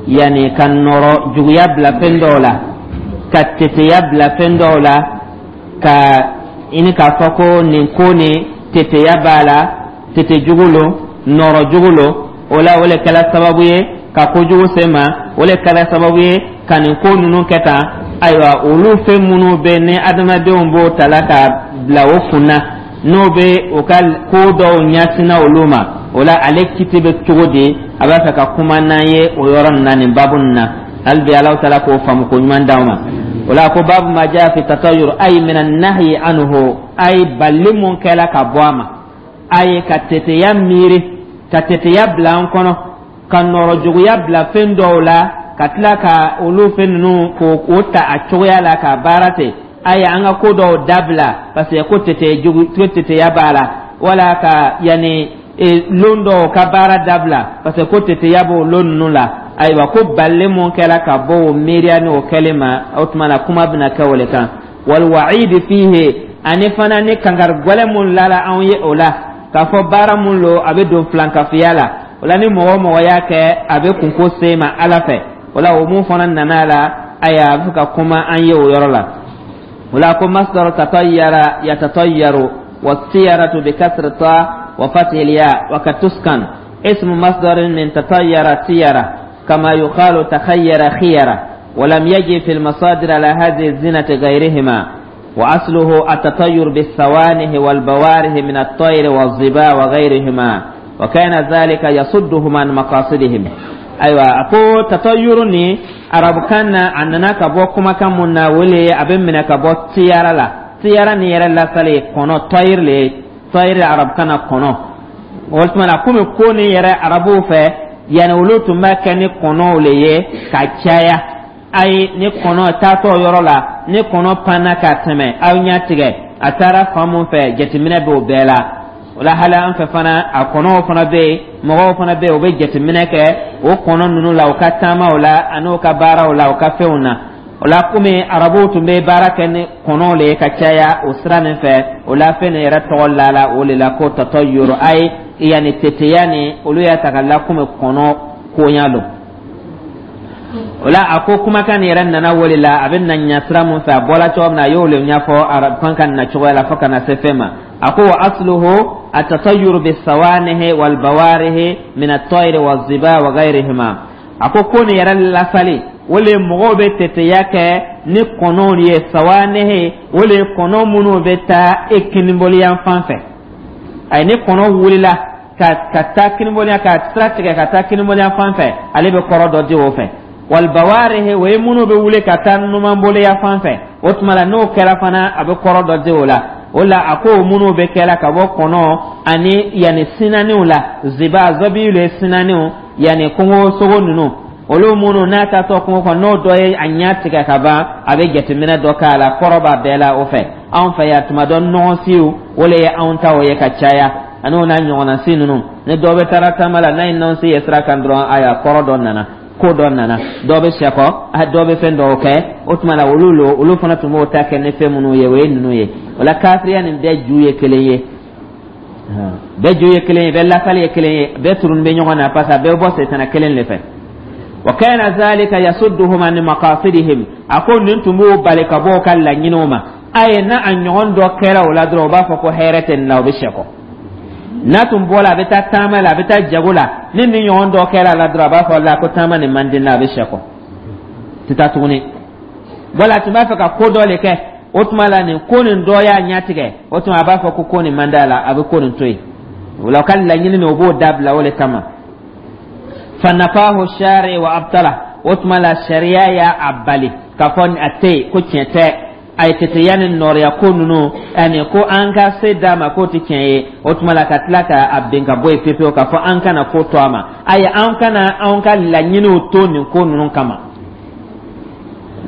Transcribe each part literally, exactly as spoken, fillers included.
Yani ka nɔrɔ juguya bila fɛn dɔw la, ka teteya bila fɛn dɔw la, ka i ni k'a fɔ ko nin ko nin teteya b'a la, tete jugu lo, nɔrɔ jugu lo. O la, o le kɛla sababu ye ka kojugu se ma, o le kɛla sababu ye ka nin ko ninnu kɛ tan. Ayiwa, olu fɛn minnu bɛ ni adamadenw b'o ta la ka bila o kun na, n'o bɛ o ka ko dɔw ɲɛsinna olu ma, o la ale kiti bɛ cogo di? A b'a fɛ ka kuma n'an ye o yɔrɔ nin na, nin baabu nin na. Hali bi Alahu taala k'o faamu ko ɲuman d'anw ma. O la, ko باب ما جاء في التطير، أي من النهي عنه، ayi balili mun kɛla ka bɔ a ma, ayi ka teteya miiri, ka teteya bila an kɔnɔ, ka nɔrɔ juguya bila fɛn dɔw la, ka tila ka olu fɛn ninnu k'o ta a cogoya la ka baara ten. Ayi, an ka ko dɔw dabila parce que ko tete jugu, ko teteya b'a la, wala ka yanni lon dɔw ka baara dabila parce que ko teteya b'o lon ninnu la. Ayiwa, ko balili mun kɛra ka bɔ o miiriya ni o kɛlen ma, o tuma na kuma bɛna kɛ o le kan. والوعيد فيه, ani fana ni kankari gwɛlɛ mun lala anw ye o la, k'a fɔ baara mun lo, a bɛ don filankafiya la. O la, ni mɔgɔ o mɔgɔ y'a kɛ, a bɛ kunko se ma Ala fɛ. O la, o mun fana nana a la, ayiwa, a bɛ fɛ ka kuma an ye o yɔrɔ la. O la, ko مصدر تطير يتطير، والطيرة بكسر الطاء وفتح الياء وقد تسكن، اسم مصدر من تطير طيرة، كما يقال تخير خيرة، ولم يجي في المصادر على هذه الزنة غيرهما. وأصله التطير بالسوانح والبوارح من الطير والظباء وغيرهما، وكان ذلك يصدهم عن مقاصدهم. Ayiwa, a ko تطير ni arabukan na, a nana ka bɔ kumakan mun na, o le a bɛ minɛ ka bɔ طيرة la. طيرة ni yɛrɛ lasali kɔnɔ, طير le, طير arabukan na kɔnɔ. O tuma na, komi ko ni yɛrɛ arabuw fɛ, yanni olu tun b'a kɛ ni kɔnɔw le ye ka caya. Ayi, ni kɔnɔ taatɔ yɔrɔ la, ni kɔnɔ panna ka tɛmɛ aw ɲɛ tigɛ, a taara fan mun fɛ, jateminɛ b'o bɛɛ la. O la, hali an fɛ fana, a kɔnɔw fana bɛ yen, mɔgɔw fana bɛ yen, u bɛ jateminɛ kɛ o kɔnɔ ninnu la, u ka taamaw la, ani u ka baaraw la, u ka fɛnw na. O la, komi arabuw tun bɛ baara kɛ ni kɔnɔw le ye ka caya o sira nin fɛ, o la fɛn nin yɛrɛ tɔgɔ la la o de la ko تطير, ayi yanni teteya ni olu y'a ta ka la komi kɔnɔ koɲa don. O la, a ko kumakan nin yɛrɛ nana o de la. A bɛ na ɲɛ sira mun fɛ, a bɔla cogo min na, a y'o le ɲɛfɔ arabukan ka na cogoya la fo ka na se fɛn ma. A ko وأصله التطير بالسوانح والبوارح من الطير والظباء وغيرهما. A ko ko nin yɛrɛ lasali, o le mɔgɔw bɛ teteya kɛ ni kɔnɔw ye. سوانح, o le kɔnɔ minnu bɛ taa e kiniboliyan fan fɛ. Ayi, ni kɔnɔ wulila ka ka taa kiniboliyan, ka sira tigɛ ka taa kiniboliyan fan fɛ, ale bɛ kɔrɔ dɔ di o fɛ. والبوارح, o ye minnu bɛ wuli ka taa numanboloya fan fɛ. O tuma la, n'o kɛra fana, a bɛ kɔrɔ dɔ di o la. O la, a ko minnu bɛ kɛla ka bɔ kɔnɔ ani yanni sinaniw la, ظباء, zɔbi le sinaniw, yanni kungo sogo ninnu, olu minnu n'a taatɔ kungo kɔnɔ, n'o dɔ ye a ɲɛ tigɛ ka ban, a bɛ jateminɛ dɔ k'a la, kɔrɔ b'a bɛɛ la o fɛ. Anw fɛ yan, tuma dɔ nɔgɔsiw, o le ye anw ta o ye ka caya, ani o n'a ɲɔgɔnna si ninnu. Ni dɔ bɛ taara taama la, n'a ye nɔnsi ye sira kan dɔrɔn, ayiwa, kɔrɔ dɔ nana, ko dɔ nana, dɔ bɛ sɛkɔ, dɔ bɛ fɛn dɔw kɛ. O tuma la, olu lo, olu fana tun b'o ta kɛ ni fɛn minnu ye, o ye ninnu ye. O la, kafiriya nin bɛɛ ju ye kelen ye, bɛɛ ju ye kelen ye, bɛɛ lasali ye kelen ye, bɛɛ turun bɛ ɲɔgɔn na, parce que a bɛɛ bɛ bɔ setana kelen de fɛ. وكان ذلك يصدهم عن مقاصدهم. A ko nin tun b'o bali ka bɔ o ka laɲiniw ma. A ye n'a a ɲɔgɔn dɔ kɛra o la dɔrɔn, u b'a fɔ ko hɛrɛ tɛ nin la, o bɛ sɛkɔ. N'a tun bɔra, a bɛ taa taama la, a bɛ taa jago la, ni nin ɲɔgɔn dɔ kɛra a la dɔrɔn, a b'a fɔ la ko taama nin man di n la, a bɛ sɛkɔ, tɛ taa tuguni. Wala a tun b'a fɛ ka ko dɔ de kɛ, o tuma la nin ko nin dɔ y'a ɲɛtigɛ, o tuma a b'a fɔ ko ko nin man d'a la, a bɛ ko nin to yen. O la, o ka laɲini nin, o b'o dabila o de kama. فنفاه الشارع وأبطله. O tuma la, sariya y'a a bali k'a fɔ a tɛ yen, ko tiɲɛ tɛ. A ye teteya ni nɔrɔya ko ninnu ani ko an ka se d'a ma, k'o tɛ tiɲɛ ye. O tuma la, ka tila ka a bin ka bɔ yen pepewu, k'a fɔ an kana ko to a ma. Ayi, an kana anw ka laɲiniw to nin ko ninnu kama.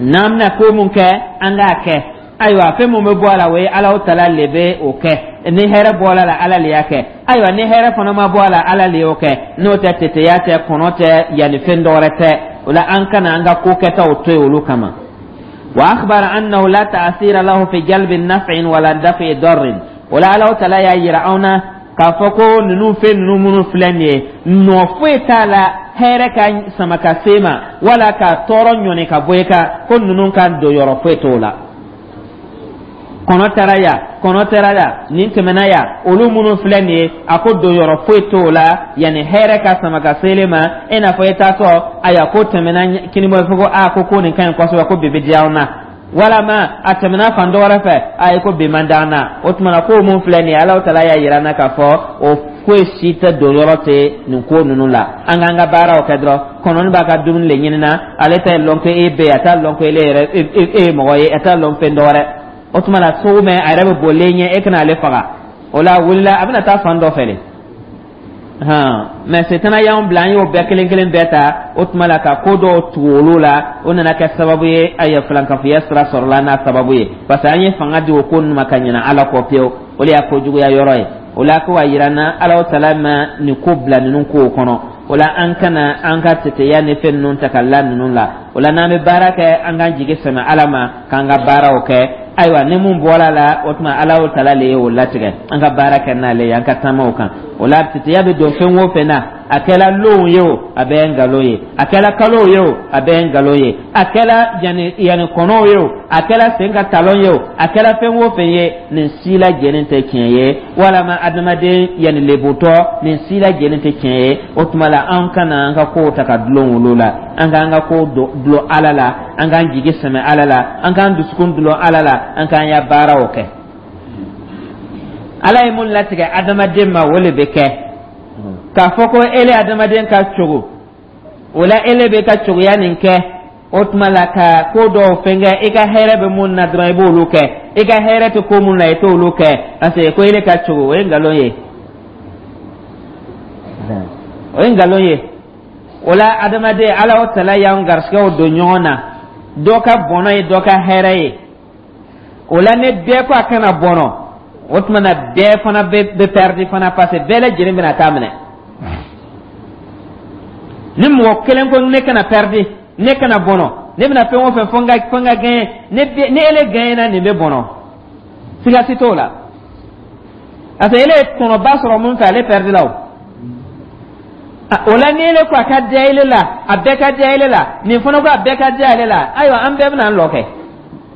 N'an bɛna ko mun kɛ, an k'a kɛ. Ayiwa, fɛn mun bɛ bɔ a la, o ye Alahu tala le bɛ o kɛ. Ni hɛrɛ bɔra la, Ala le y'a kɛ. Ayiwa, ni hɛrɛ fana ma bɔ a la, Ala le y'o kɛ. N'o tɛ, teteya tɛ, kɔnɔ tɛ, yanni fɛn dɔwɛrɛ tɛ. O la, an kana an ka ko kɛtaw to yen olu kama. وأخبر أنه لا تأثير له في جلب نفع ولا دفع ضر. O la, Alahu tala y'a yira anw na k'a fɔ ko ninnu fɛn ninnu minnu filɛ nin ye, nɔ foyi t'a la. Hɛrɛ ka sama ka se ma wala ka tɔɔrɔ ɲɔni ka bɔ i kan, ko ninnu ka don yɔrɔ foyi t'o la. Kɔnɔ taara yan, kɔnɔ taara yan, nin tɛmɛna yan, olu minnu filɛ nin ye, a ko don yɔrɔ foyi t'o la yanni hɛrɛ ka sama ka sele ma. E n'a fɔ e taatɔ, ayiwa, ko tɛmɛna kinibɔ fɔ ko aa, ko ko nin ka ɲi kosɛbɛ, ko bi bɛ diya an na, walama a tɛmɛna fan dɔ wɛrɛ fɛ, a ye ko bi man d'an na. O tuma na, ko mun filɛ nin ye, Alahu Taala y'a yira an na k'a fɔ o foyi si tɛ don yɔrɔ tɛ nin ko ninnu la. An k'an ka baaraw kɛ dɔrɔn. Kɔnɔni b'a ka dumuni le ɲinina, ale t'a lɔn ko e bɛ yen, a t'a lɔn ko ele yɛrɛ e ye mɔgɔ ye, a t'a lɔn fɛn dɔ wɛrɛ. O tuma na, sogo mɛn a yɛrɛ bɛ bolilen ɲɛ, e kana ale faga. O la, a wulila, a bɛna taa fan dɔ fɛ de hɔn. Mɛ setana y'anw bila, an y'o bɛɛ kelen kelen bɛɛ ta. O tuma la, ka ko dɔw tugu olu la, o nana kɛ sababu ye, ayiwa, filankafoya sira sɔrɔla n'a sababu ye, parce que an ye fanga di o ko ninnu ma ka ɲinɛ Ala kɔ pewu. O de y'a kojuguya yɔrɔ ye. O la, ko a yira n na, Ala Taala ma nin ko bila ninnu kow kɔnɔ. O la, an kana an ka teteya ni fɛn ninnu ta ka la ninnu la. O la, n'an bɛ baara kɛ, an k'an jigi sɛmɛ Ala ma k'an ka baaraw kɛ. Ayiwa, ni mun bɔra la, o tuma Ala Taala le ye o latigɛ. An ka baara kɛ n'ale ye, an ka taama o kan. O la, teteya bɛ don fɛn o fɛn na, a kɛla lonw ye o, a bɛɛ ye nkalon ye. A kɛla kalow ye o, a bɛɛ ye nkalon ye. A kɛla yanni yanni kɔnɔw ye o, a kɛla sen ka talon ye o, a kɛla fɛn o fɛn ye, nin si lajɛlen tɛ tiɲɛ ye. Walama adamaden yanni lebutɔ, nin si lajɛlen tɛ tiɲɛ ye. O tuma la, an kana an ka kow ta ka dulon olu la. An k'an ka kow dulon Ala la, an k'an jigi sɛmɛ Ala la, an k'an dusukun dulon Ala la, an k'an ya baaraw kɛ. Ala ye mun latigɛ adamaden ma, o le bɛ kɛ. K'a fɔ ko ele adamaden ka cogo o la, ele bɛ ka cogoya nin kɛ. O tuma la, ka ko dɔw fɛn kɛ, i ka hɛrɛ bɛ mun na dɔrɔn, i b'olu kɛ. I ka hɛrɛ tɛ ko mun na, i t'olu kɛ, parce que ko ele ka cogo, o ye nkalon ye, o ye nkalon ye. O la, adamaden, Ala o Tala y'an garisigɛw don ɲɔgɔn na. Dɔ ka bɔnɔ ye dɔ ka hɛrɛ ye. O la, ni bɛɛ ko a kana bɔnɔ, o tuma na bɛɛ fana bɛ bɛ pɛridi fana, parce que bɛɛ lajɛlen bɛna taa minɛ. Ni mɔgɔ kelen ko ne kana pɛridi, ne kana bɔnɔ, ne bɛna fɛn o fɛn fo n ka fo n ka gɛɲɛ, ne ni ele gɛɲɛna, nin bɛ bɔnɔ, siga si t'o la, parce que ele ye tɔnɔba sɔrɔ mun fɛ, ale pɛridi la. O o la, ni ele ko a ka diya ele la, a bɛɛ ka diya ele la, nin fana ko a bɛɛ ka diya ale la, ayiwa, an bɛɛ bɛna an lɔ kɛ,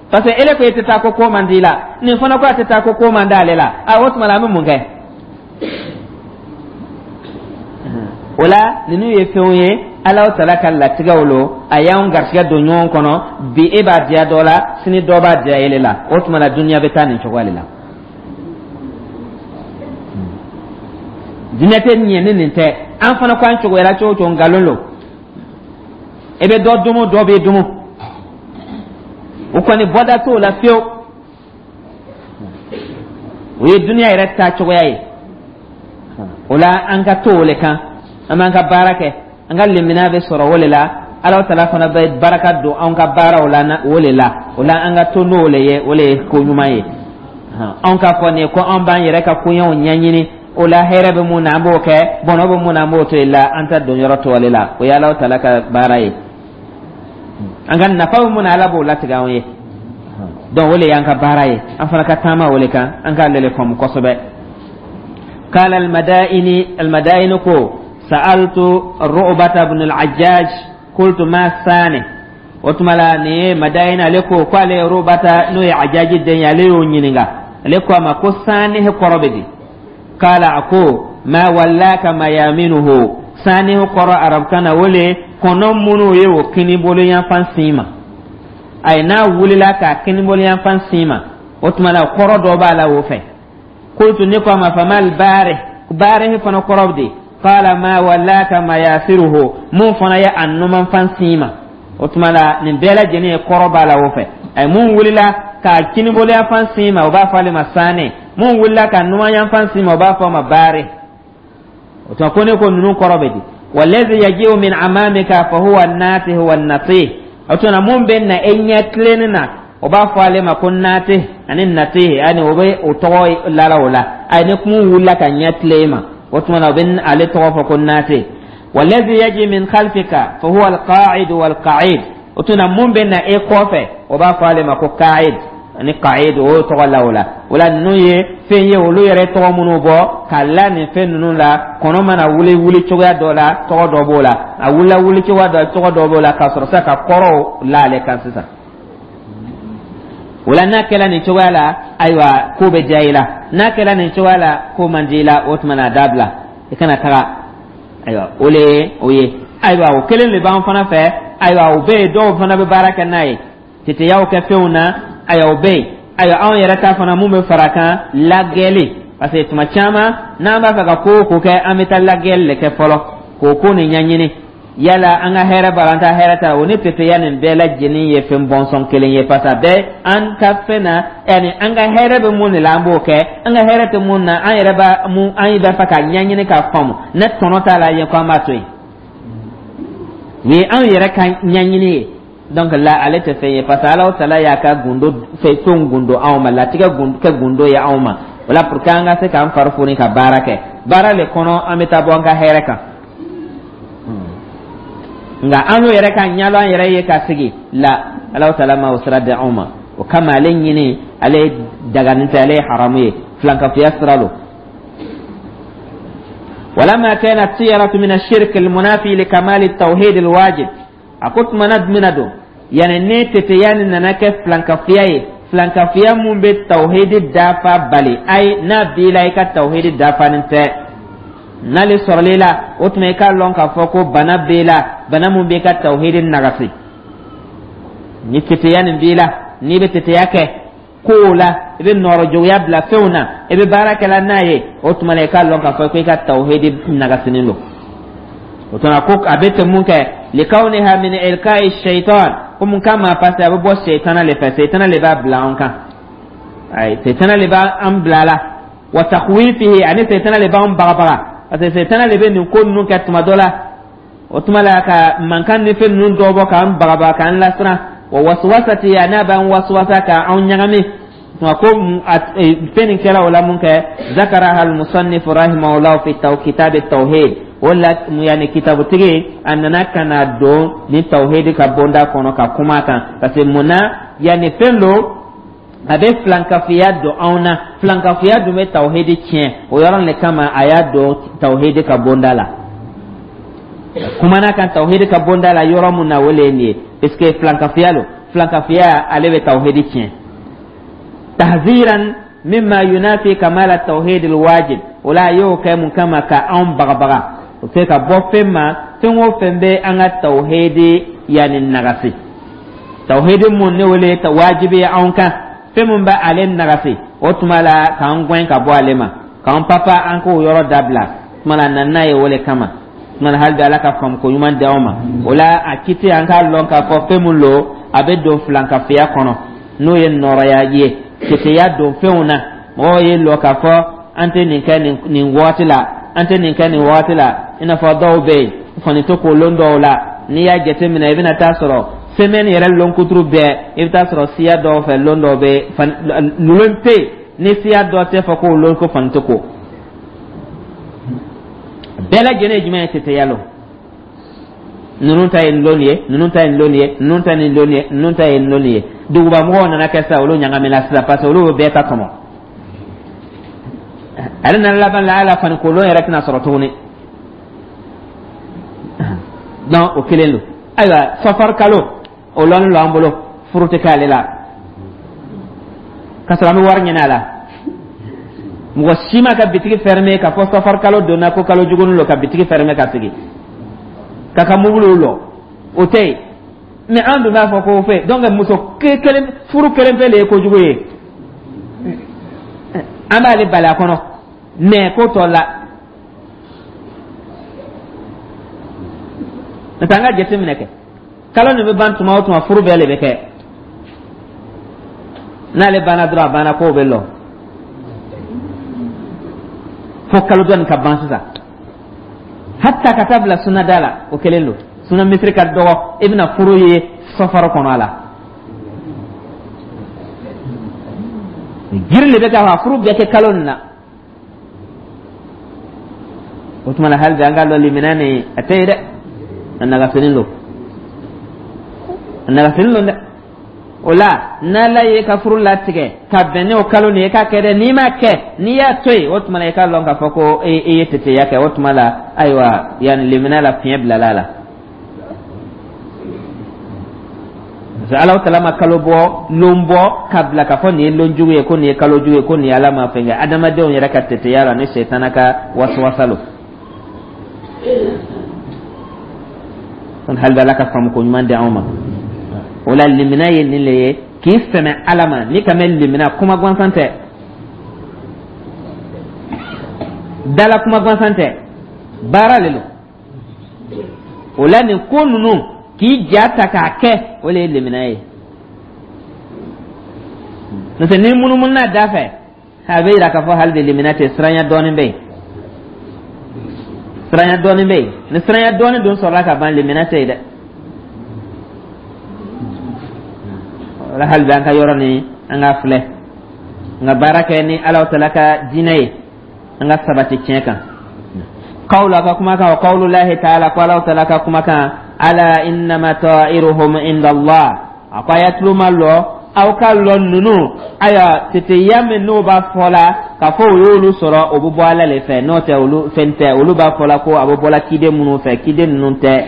parce que ele ko e tɛ taa ko ko man di la, nin fana ko a tɛ taa ko ko man d'ale la. A o tuma la, an bɛ mun kɛ o la? Ninnu ye fɛnw ye, Ala Tala ka latigɛw lo. A y'anw garisigɛ don ɲɔgɔn kɔnɔ. Bi e b'a diya dɔ la, sini dɔ b'a diya ele la. O tuma la, duniya bɛ taa nin cogoya de la. Diinɛ tɛ ɲɛ ni nin tɛ. An fana ko an cogoyara cogo o cogo, nkalon lo. E bɛ dɔ domo, dɔ bɛ domo, o kɔni bɔda t'o la fiyewu. O ye duniya yɛrɛ taa cogoya ye. O la, an ka to o le kan, an b'an ka baara kɛ, an ka lemina bɛ sɔrɔ o le la. Ala Tala fana bɛ baraka don anw ka baaraw la o le la. O la, an ka to n'o le ye, o le ye ko ɲuman ye. Anw k'a fɔ nin ye ko anw b'an yɛrɛ ka koɲɛw ɲɛɲini. O la, hɛrɛ bɛ mun na, an b'o kɛ, bɔnɔ bɛ mun na, an b'o to yen la. An ta don yɔrɔ tɔ ale la, o ye Ala Tala ka baara ye. An ka nafa bɛ mun na, Ala b'o latigɛ anw ye. Donc o le y'an ka baara ye, an fana ka taama o le kan, an k'ale le faamu kosɛbɛ. قال المدائني، المدائن كو سألت الرؤبة بن العجاج، قلت ما الثاني؟ وتملا ني مدائن عليكو قال رؤبة نو عجاج الدنيا ليو نينغا عليكو ما كو ثاني قربدي. قال أكو ما ولاك ميامنه. ثاني قرأ عرب كان ولي kɔnɔ minnu ye o kinibolo yanfan sin ma, ayi, n'a wulila k'a kinibolo yanfan sin ma, o tuma na kɔrɔ dɔ b'a la o fɛ. Qultu, ne ko a ma, famal baare? Baare fana kɔrɔ de. Qala ma walaka mayasiruhu, mun fana ye a numanfan sin ma. O tuma la, nin bɛɛ lajɛlen ye kɔrɔ b'a la o fɛ. Ayi, mun wulila k'a kinibolo yanfan sin ma, o b'a fɔ ale ma saane. Mun wulila ka numan yanfan sin ma, o b'a fɔ a ma baare. O tuma ko ne ko ninnu kɔrɔ bɛ di? Wallazi yaji'u min amamika fa huwa an-natih wa an-natih. O tuma mun bɛ na e ɲɛ tilenni na, o b'a fɔ ale ma ko natih ani natih, ani o bɛ o tɔgɔ lala o la. Ayi, ni kun wulila ka ɲɛ tilen ma, o tuma na o bɛ ale tɔgɔ fɔ ko natih. Wallazi yaji min khalfika fa huwa al-qa'id wal-qa'id. O tuma mun bɛ na e kɔfɛ, o b'a fɔ ale ma ko qa'id. Ani qaid, o tɔgɔ la o la. O la, ninnu ye fɛn ye, olu yɛrɛ tɔgɔ minnu bɔ ka la nin fɛn ninnu la. Kɔnɔ mana wuli wuli cogoya dɔ la, tɔgɔ dɔ b'o la. A wulila wuli cogoya dɔ, tɔgɔ dɔ b'o la, ka sɔrɔ sisan ka kɔrɔw la ale kan sisan. O la, n'a kɛla nin cogoya la, ayiwa, ko bɛ diya i la. N'a kɛla nin cogoya la, ko man di i la, o tuma na a dabila, i kana taga. Ayiwa, o le ye o ye. Ayiwa, o kelen de b'an fana fɛ. Ayiwa, o bɛ yen, dɔw fana bɛ baara kɛ n'a ye, teteyaw kɛ fɛnw na. Ayiwa, o bɛ yen. Ayiwa, anw yɛrɛ ta fana, mun bɛ fara kan? Lagɛli, parce que tuma caman n'an b'a fɛ ka ko o ko kɛ, an bɛ taa lagɛli de kɛ fɔlɔ k'o ko nin ɲɛɲini, yala an ka hɛrɛ b'a la, an ta hɛrɛ t'a la. O ni teteya nin bɛɛ lajɛlen ye fɛn bɔnsɔn kelen ye, parce que a bɛɛ an ka fɛn na, yanni an ka hɛrɛ bɛ mun de la, an b'o kɛ. An ka hɛrɛ tɛ mun na, an yɛrɛ b'a mun, an b'a fɛ ka ɲɛɲini k'a faamu, ne tɔnɔ t'a la yen ko an b'a to yen. Nin ye anw yɛrɛ ka ɲɛɲini ye. Donc la, ale tɛ fɛn ye, parce que Alahu Taala y'a ka gundo fɛn gundo anw ma, latigɛ kɛ gundo ye anw ma. O la, pour que an ka se k'an fari foni ka baara kɛ, baara le kɔnɔ an bɛ taa bɔ an ka hɛrɛ kan. Nka an y'o yɛrɛ ka ɲɛlɔn an yɛrɛ ye ka sigi la, Alahu Taala ma o sira di anw ma. O kama, ale ɲini, ale daganin tɛ, ale ye haramu ye, filankafoya sira don. ولما كانت الطيرة من الشرك المنافي لكمال التوحيد الواجب, a ko tumana jumɛn don, yani ne teteya nin nana kɛ filankafoya ye, filankafoya mun bɛ tawhidi dafa bali, ayi, n'a b'i la, i ka tawhidi dafanin tɛ. N'ale sɔrɔla i la, o tuma i k'a lɔn k'a fɔ ko bana b'i la, bana mun b'i ka tawhidi nagasi. Ni teteya nin b'i la, n'i bɛ teteya kɛ kow la, i bɛ nɔrɔjogoya bila fɛnw na, i bɛ baara kɛla n'a ye, o tuma la i k'a lɔn k'a fɔ ko i ka tawhidi nagasinin don. O tuma ko a bɛ ten mun kɛ? Likawniha min ilka'i shaitan, ko mun kama? Parce que a bɛ bɔ seitana le fɛ, seitana le b'a bila an kan. Ayi, seitana le b'an bila la. Wa takhwifihi, ani seitana le b'an bagabaga, parce que seitana le bɛ nin ko ninnu kɛ tuma dɔ la. O tuma la, ka mankan ni fɛn ninnu dɔ bɔ k'an bagabaga, k'an lasiran. Wa waswasati, a n'a b'an waswasa, k'an ɲagami. Tuma ko fɛn nin kɛra o la mun kɛ? Zakaraha al-musannif rahimahullah fi kitab at-tauhid. O la, yani kitabutigi a nana ka na don ni tawhidi ka bonda kɔnɔ ka kuma kan, parce que mun na? Yani fɛn do, a bɛ filankafiya don anw na, filankafiya dun bɛ tawhidi tiɲɛ. O yɔrɔ de kama a y'a don tawhidi ka bonda la, kumana kan tawhidi ka bonda la. Yɔrɔ mun na, o le ye nin ye, parce que filankafiya don, filankafiya ale bɛ tawhidi tiɲɛ. Tahziran mimma yunafi kamala tawhid alwajib, o la a y'o kɛ mun kama? Ka anw bagabaga, o tɛ ka bɔ fɛn ma, fɛn o fɛn bɛ an ka tawhidi yanni nagasi, tawhidi mun ne wele wajibi ye anw kan, fɛn mun bɛ ale nagasi, o tuma la k'an gɛn ka bɔ ale ma, k'an papa an k'o yɔrɔ dabila. Tuma la, na n'a ye o le kama. Tuma la, hali bi Ala ka faamu ko ɲuman di anw ma. O la, a kiti, an k'a lɔn k'a fɔ fɛn mun lo, a bɛ don filankafoya kɔnɔ, n'o ye nɔrɔya ye, teteya don fɛnw na. Mɔgɔw ye lɔ k'a fɔ an tɛ nin kɛ nin nin waati la, an tɛ nin kɛ nin waati la. I n'a fɔ dɔw bɛ yen, fani to k'o lon dɔw la. N'i y'a jateminɛ, i bɛna taa sɔrɔ semaine yɛrɛ lonkuturu bɛɛ, i bɛ taa sɔrɔ siya dɔw fɛ, lon dɔw bɛ lon tɛ yen ni siya dɔ tɛ fɔ k'o lon ko fani tɛ ko. Bɛɛ lajɛlen ye jumɛn ye? Teteya lo. Ninnu ta ye nin lon ye, ninnu ta ye nin lon ye, ninnu ta ye nin lon ye, ninnu ta ye nin lon ye. Duguba mɔgɔw nana kɛ sisan, olu ɲagamina sisan, parce que olu bɛ bɛɛ ta tɔmɔ. Ale nana laban la, ala fani kolon yɛrɛ tɛna sɔrɔ tuguni. Donc o kelen don. Ayiwa, safar kalo, o lɔnni lo an bolo, furu tɛ k'ale la, k'a sɔrɔ an bɛ wari ɲini a la. Mɔgɔ si ma ka bitigi fermer k'a fɔ safar kalo donna ko kalo jugunin lo, ka bitigi fermer ka sigi k'a ka mobiliw lɔ, o tɛ yen. Mais an dun b'a fɔ ko fɛ. Donc muso kelen, furu kelen pe le ye kojugu ye, an b'ale bali a kɔnɔ, mais ko tɔ la n'o tɛ. An ka jateminɛ kɛ, kalo nin bɛ ban tuma o tuma, furu bɛɛ de bɛ kɛ. N'ale banna dɔrɔn, a banna, kow bɛ lɔ fo kalo dɔ nin ka ban sisan, hatta ka taa bila sunada la, o kelen don. Suna misiri ka dɔgɔ, i bɛna furu ye safar kɔnɔ a la, jiri de bɛ ka furu bɛɛ kɛ kalo nin na. O tuma na, hali bi an ka lɔ limina nin, a tɛ ye dɛ, a nagasinin don, a nagasinin don dɛ. O la, n'Ala ye ka furu latigɛ ka bɛn n'o kalo nin ye, i k'a kɛ dɛ. N'i m'a kɛ, n'i y'a to yen, o tuma la i k'a lɔn k'a fɔ ko e e ye teteya kɛ. O tuma la, ayiwa, yanni limina la fiɲɛ bilala a la, parce que Alahu Taala ma kalo bɔ lon bɔ ka bila k'a fɔ nin ye lon jugu ye, ko nin ye kalo jugu ye, ko nin ye Ala ma fɛn kɛ. Adamadenw yɛrɛ ka teteya la ni setana ka wasuwasa lo. Kon hali Ala ka faamu ko ɲuman di anw ma. O la, limina ye nin le ye, k'i sɛmɛ Ala ma. N'i ka mɛn limina, kuma gansan tɛ, dala kuma gansan tɛ, baara le lo. O la, nin ko ninnu k'i ja ta k'a kɛ, o le ye limina ye. N'o tɛ, n'i munumununa da fɛ, a bɛ yira k'a fɔ hali de limina tɛ, siranya dɔɔnin bɛ yen, siranya dɔɔnin bɛ yen. Ni siranya dɔɔnin dun sɔrɔla ka ban, limina tɛ yen dɛ. O la, hali bi an ka yɔrɔ nin, an ka filɛ, an ka baara kɛ ni Alahu Taala ka diinɛ ye, an ka sabati tiɲɛ kan. Qawlu, a ka kumakan, wa qawlu lahi taala, ko Alahu Taala ka kumakan, ala innama ta'iruhum inda Allah. A ko a y'a tulo ma lɔ, aw ka lɔ ninnu, ayiwa, teteya min n'o b'a fɔ la k'a fɔ o y'olu sɔrɔ, o bɛ bɔ Ala le fɛ. N'o tɛ, olu fɛn tɛ. Olu b'a fɔ la ko a bɛ bɔla kiden minnu fɛ, kiden ninnu tɛ,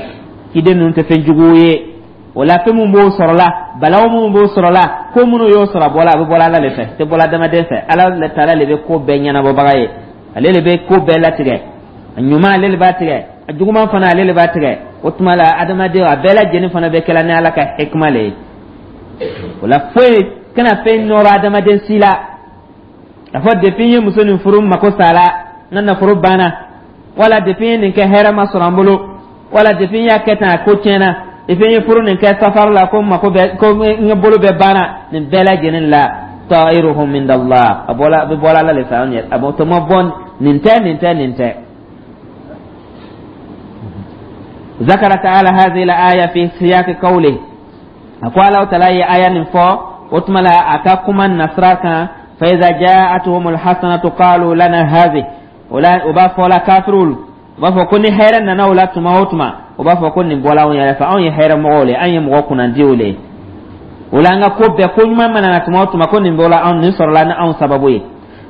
kiden ninnu tɛ fɛn jugu ye. O la, fɛn min b'o sɔrɔ la, balawu minnu b'o sɔrɔ la, ko minnu y'o sɔrɔ, a bɔla a bɛ bɔla Ala le fɛ, tɛ bɔla adamaden fɛ. Ala Taala le bɛ ko bɛɛ ɲɛnabɔbaga ye, ale le bɛ ko bɛɛ latigɛ. A ɲuman, ale le b'a tigɛ, a juguman fana, ale le b'a tigɛ. O tuma la, adamaden a bɛɛ lajɛlen fana bɛ kɛla ni Ala ka hikima le ye. O la, foyi kana fɛn nɔrɔ adamaden si la a fɔ depuis n ye muso nin furu, n mako sala, n ka nafolo banna, wala depuis n ye nin kɛ, hɛrɛ ma sɔrɔ n bolo, wala depuis n y'a kɛ tan, a ko tiɲɛna, depuis n ye furu nin kɛ safari la, ko n mako bɛ, ko n ka bolo bɛɛ banna. Nin bɛɛ lajɛlen la, ta'iruhum indallah, a bɔla a bɛ bɔla Ala le fɛ. Anw yɛrɛ a bɔ tɔmɔ bɔ nin tɛ, nin tɛ, nin tɛ. ذكر تعالى هذه الآية في سياق قوله، أقول الله تعالى آية نفو وتملا أكاكما النصرة، فإذا جاءتهم الحسنة قالوا لنا هذه. ولا وبا ولا كافرون u b'a fɔ ko ni hɛrɛ nana o la tuma o tuma, u b'a fɔ ko nin bɔla anw yɛrɛ fɛ, anw ye hɛrɛ mɔgɔw le, an ye mɔgɔ kunnandiw le. O la, an ka ko bɛɛ, ko ɲuman mana na tuma o tuma, ko nin bɔla anw, nin sɔrɔla ni anw sababu ye.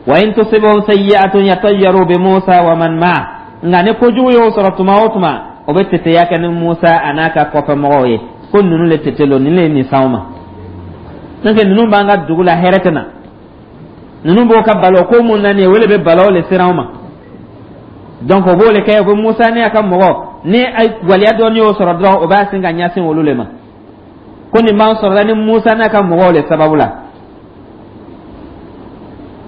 Wa in tusibhum sayyi'atun yatayyaru bi Musa wa man ma'a. Nka ni kojugu y'o sɔrɔ tuma o tuma, o bɛ teteya kɛ ni Musa a n'a ka kɔfɛmɔgɔw ye, ko ninnu le tete lo, nin le ye nin s'anw ma. N'o tɛ, ninnu b'an ka dugu la, hɛrɛ tɛ na. Ninnu b'o ka balo ko mun na nin ye, o le bɛ balaw le siran anw ma. Donc o b'o le kɛ, o bɛ Musa ni a ka mɔgɔ ni waliya dɔɔni y'o sɔrɔ dɔrɔn, o b'a sin ka ɲɛsin olu le ma, ko nin b'an sɔrɔ la ni Musa n'a ka mɔgɔw le sababu la.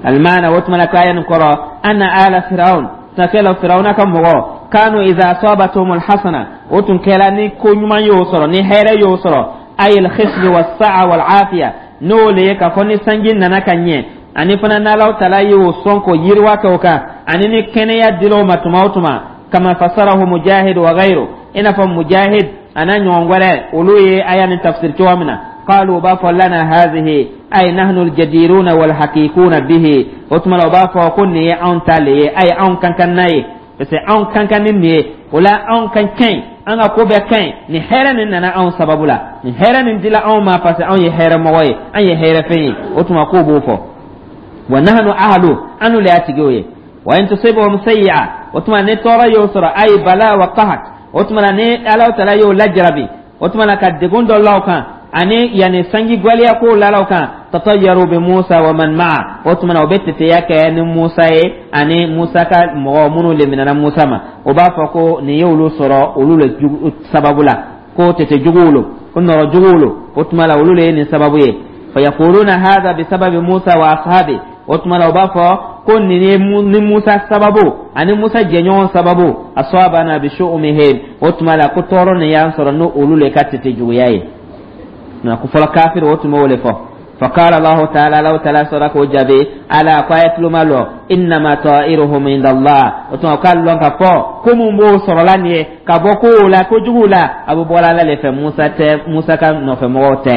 Alimana, o tuma na, k'aya nin kɔrɔ, anna ala firaun, sakɛla Firawuna ka mɔgɔ, kanu iza asabatuhum alhasana, o tun kɛla ni ko ɲuman y'o sɔrɔ, ni hɛrɛ y'o sɔrɔ, ay alkhisb wassa'a walafiya, n'o le ye k'a fɔ ni sanji nana ka ɲɛ, ani fana n'Alaw Tala y'o sɔn k'o yiriwa kɛ o kan, ani ni kɛnɛya dil'o ma tuma o tuma, kama fasarahu Mujahid wa ghayru, i n'a fɔ Mujahid a n'a ɲɔgɔn wɛrɛ, olu ye aya nin tafsir cogo min na, qalu, u b'a fɔ, lana hazihi, ay nahnu aljadiruna walhaqiquna bihi. O tuma la, u b'a fɔ ko nin ye anw ta le ye, ay anw kan kan n'a ye, parce que anw kan kan ni nin ye. O la, anw kan ka ɲi, an ka ko bɛɛ ka ɲi, nin hɛrɛ nin nana anw sababu la, nin hɛrɛ nin dila anw ma, parce que anw ye hɛrɛ mɔgɔ ye, an ye hɛrɛ fɛn ye. O tuma k'o b'o fɔ, wa nahnu ahlu, anu le y'a tigiw ye. Wa in tusibhum sayyi'a, o tuma ni tɔɔrɔ y'o sɔrɔ, ay bala wa qahat, o tuma na ni Ala Taala y'o lajarabi, o tuma na ka degun dɔ la o kan, ani yanni sanji gwɛlɛya kow lala o kan, tatayyaru bi Musa wa man ma'a, o tuma na o bɛ teteya kɛ ni Musa ye ani Musa ka mɔgɔ minnu le minɛna Musa ma. O b'a fɔ ko nin ye olu sɔrɔ olu le sababu la, ko tete juguw lo, ko nɔrɔ juguw lo. O tuma la, olu le ye nin sababu ye. Fayaquluna hadha bisababi Musa wa ashabi, o tuma la u b'a fɔ ko nin ye ni Musa sababu ani Musa jɛɲɔgɔn sababu, asabana bi shu'umihim, o tuma la ko tɔɔrɔ nin y'an sɔrɔ n'o olu le ka tete juguya ye. Nka ko fɔlɔ kafiri o tun b'o le fɔ. فقال الله تعالى، لو تعالى سورة جابي على قاية لو إنما طائرهم عند الله. وتما قال لهم كفو كم بو سرلاني كبوكو لا كجولا أبو بولا لا لف موسى ت موسى كان نوف موت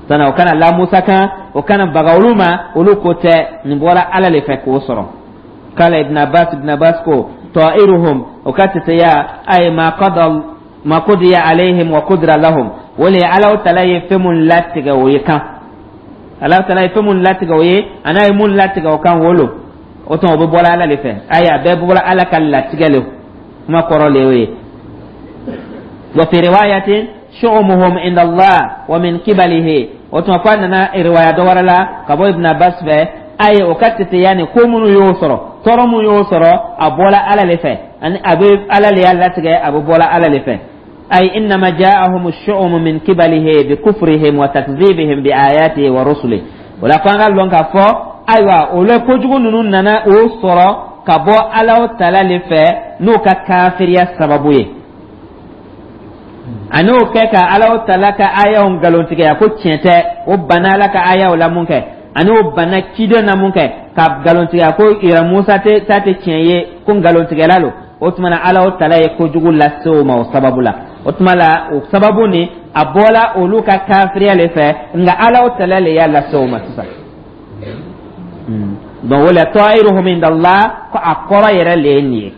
سنة وكان لا موسى كان وكان بغولوما ولو كوت نبولا على لف كوسر. قال ابن عباس، ابن عباس كو طائرهم وكاتت يا أي ما قضى Ma qudiya alayhim wa qudira lahum, o le ye Alaw tala ye fɛn mun latigɛ o ye kan. Alaw tala ye fɛn mun latigɛ o ye, a n'a ye mun latigɛ o kan, o lo. O tuma, o bɛ bɔra Ala le fɛ. Ayi, a bɛɛ bɔra Ala ka latigɛ le kuma kɔrɔ le y'o ye. Wa fi riwayatin shu'umuhum inda Allah wa min qibalihi. O tuma, ko a nana riwaya dɔ wɛrɛ la ka bɔ Ibn Abbas fɛ, ayi, o ka teteya nin ko minnu y'o sɔrɔ, tɔɔrɔ mun y'o sɔrɔ, a bɔla Ala le fɛ, ani a bɛ Ala le y'a latigɛ, a bɛ bɔla Ala le fɛ. Ay innama ja'ahum ash-shu'um min qibalihi bi kufrihim wa takdhibihim bi ayatihi wa rusulihi. O la, ko an ka lɔn k'a fɔ, ayiwa, o la kojugu ninnu nana o sɔrɔ ka bɔ Ala tala le fɛ n'o ka kafiriya sababu ye, ani o kɛ ka Ala tala ka ayaw nkalontigɛya ko tiɲɛ tɛ. O banna Ala ka ayaw la mun kɛ, ani o banna ciden na mun kɛ, ka nkalontigɛya ko yɛrɛ Musa tɛ ta tɛ tiɲɛ ye, ko nkalontigɛla lo. O tuma na, Ala tala ye kojugu lase o ma o sababu la. O tuma la, o sababu ni a bɔla olu ka kafiriya le fɛ, nka Ala tala le y'a lase o ma sisan. Donc o la, ta'iruhum inda Allah, ko a kɔrɔ yɛrɛ le ye nin ye.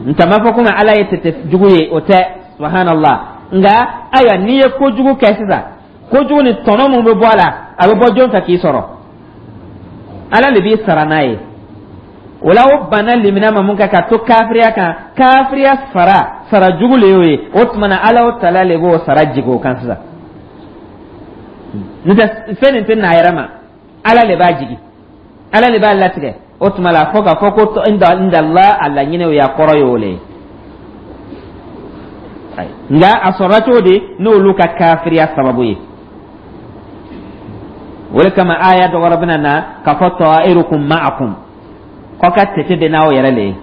N t'a ma fɔ komi Ala ye tete jugu ye, o tɛ, subhanallah. Nka ayiwa, n'i ye kojugu kɛ sisan, kojugu ni tɔnɔ mun bɛ bɔ a la, a bɛ bɔ jɔn fɛ k'i sɔrɔ? Ala le b'i sara n'a ye. O la, o banna limina ma mun kɛ ka to kafiriya kan, kafiriya sara, sara jugu le y'o ye. O tuma na, Ala o tala le b'o sara jigin o kan sisan. N'o tɛ, fɛn nin tɛ n'a yɛrɛ ma, Ala le b'a jigi, Ala le b'a latigɛ. O tuma la, fɔ k'a fɔ ko inda Allah, a laɲini o ye, a kɔrɔ ye o le ye. Nka a sɔrɔla cogo di? N'olu ka kafiriya sababu ye. O de kama, aya dɔ wɛrɛ bɛna na k'a fɔ ta'irukum ma'akum, k'aw ka tete bɛ n'aw yɛrɛ le ye.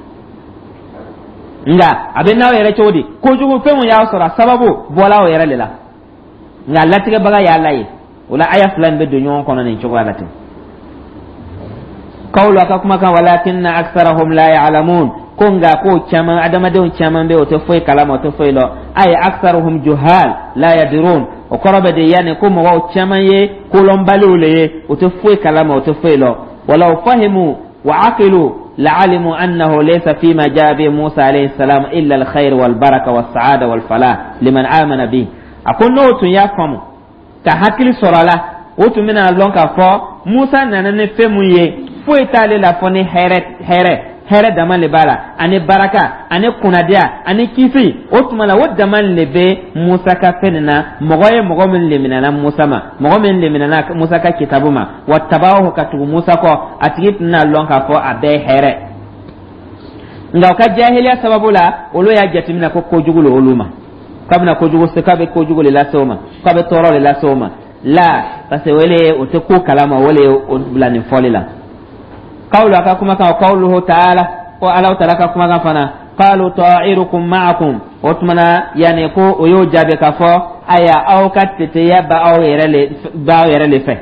Nka a bɛ n'aw yɛrɛ cogo di? Kojugu fɛn mun y'a sɔrɔ, a sababu bɔla aw yɛrɛ de la, nka latigɛbaga y'a la ye. O la, aya fila in bɛ don ɲɔgɔn kɔnɔ nin cogoya la ten. Kawlu, a ka kumakan, walakinna aktharahum la ya'lamun, ko nka ko caman, adamadenw caman bɛ, o tɛ foyi kalama, o tɛ foyi lɔn. Ay aktharuhum juhal la yadrun. O kɔrɔ bɛ de yanni ko mɔgɔw caman ye kolɔnbaliw le ye, o tɛ foyi kalama, o tɛ foyi lɔn. Walaw fahimu wa aqilu la'alimu annahu laysa fima jaa bi Musa alayhi salam illa alkhair wal baraka was sa'ada wal falah liman amana bi. A ko n'o tun y'a faamu ka hakili sɔrɔ a la, o tun bɛna lɔn k'a fɔ Musa nana ni fɛn mun ye, foyi t'ale la fɔ ni hɛrɛ, hɛrɛ, hɛrɛ dama le b'a la, ani baraka, ani kunnadiya, ani kisi. O tuma la, o dama le bɛ Musa ka fɛn nin na. Mɔgɔ ye mɔgɔ min leminana Musa ma, mɔgɔ min leminana Musa ka kitabu ma, wa tabahu, ka tugu Musa kɔ, a tigi tɛna lɔn k'a fɔ a bɛɛ ye hɛrɛ. Nka u ka jahiliya sababu la, olu y'a jateminɛ ko kojugu le olu ma, k'a bɛna kojugu se, k'a bɛ kojugu le lase o ma, k'a bɛ tɔɔrɔ le lase o ma la, parce que o le o tɛ ko kalama, o le ye o bila nin fɔli la. Kawlu, a ka kumakan, qawluhu ta'ala, ko Alaw taala ka kumakan fana, qalu ta'irukum ma'akum. O tuma na, yanni ko o y'o jaabi k'a fɔ, aya, aw ka teteya ba aw yɛrɛ le, b'aw yɛrɛ le fɛ.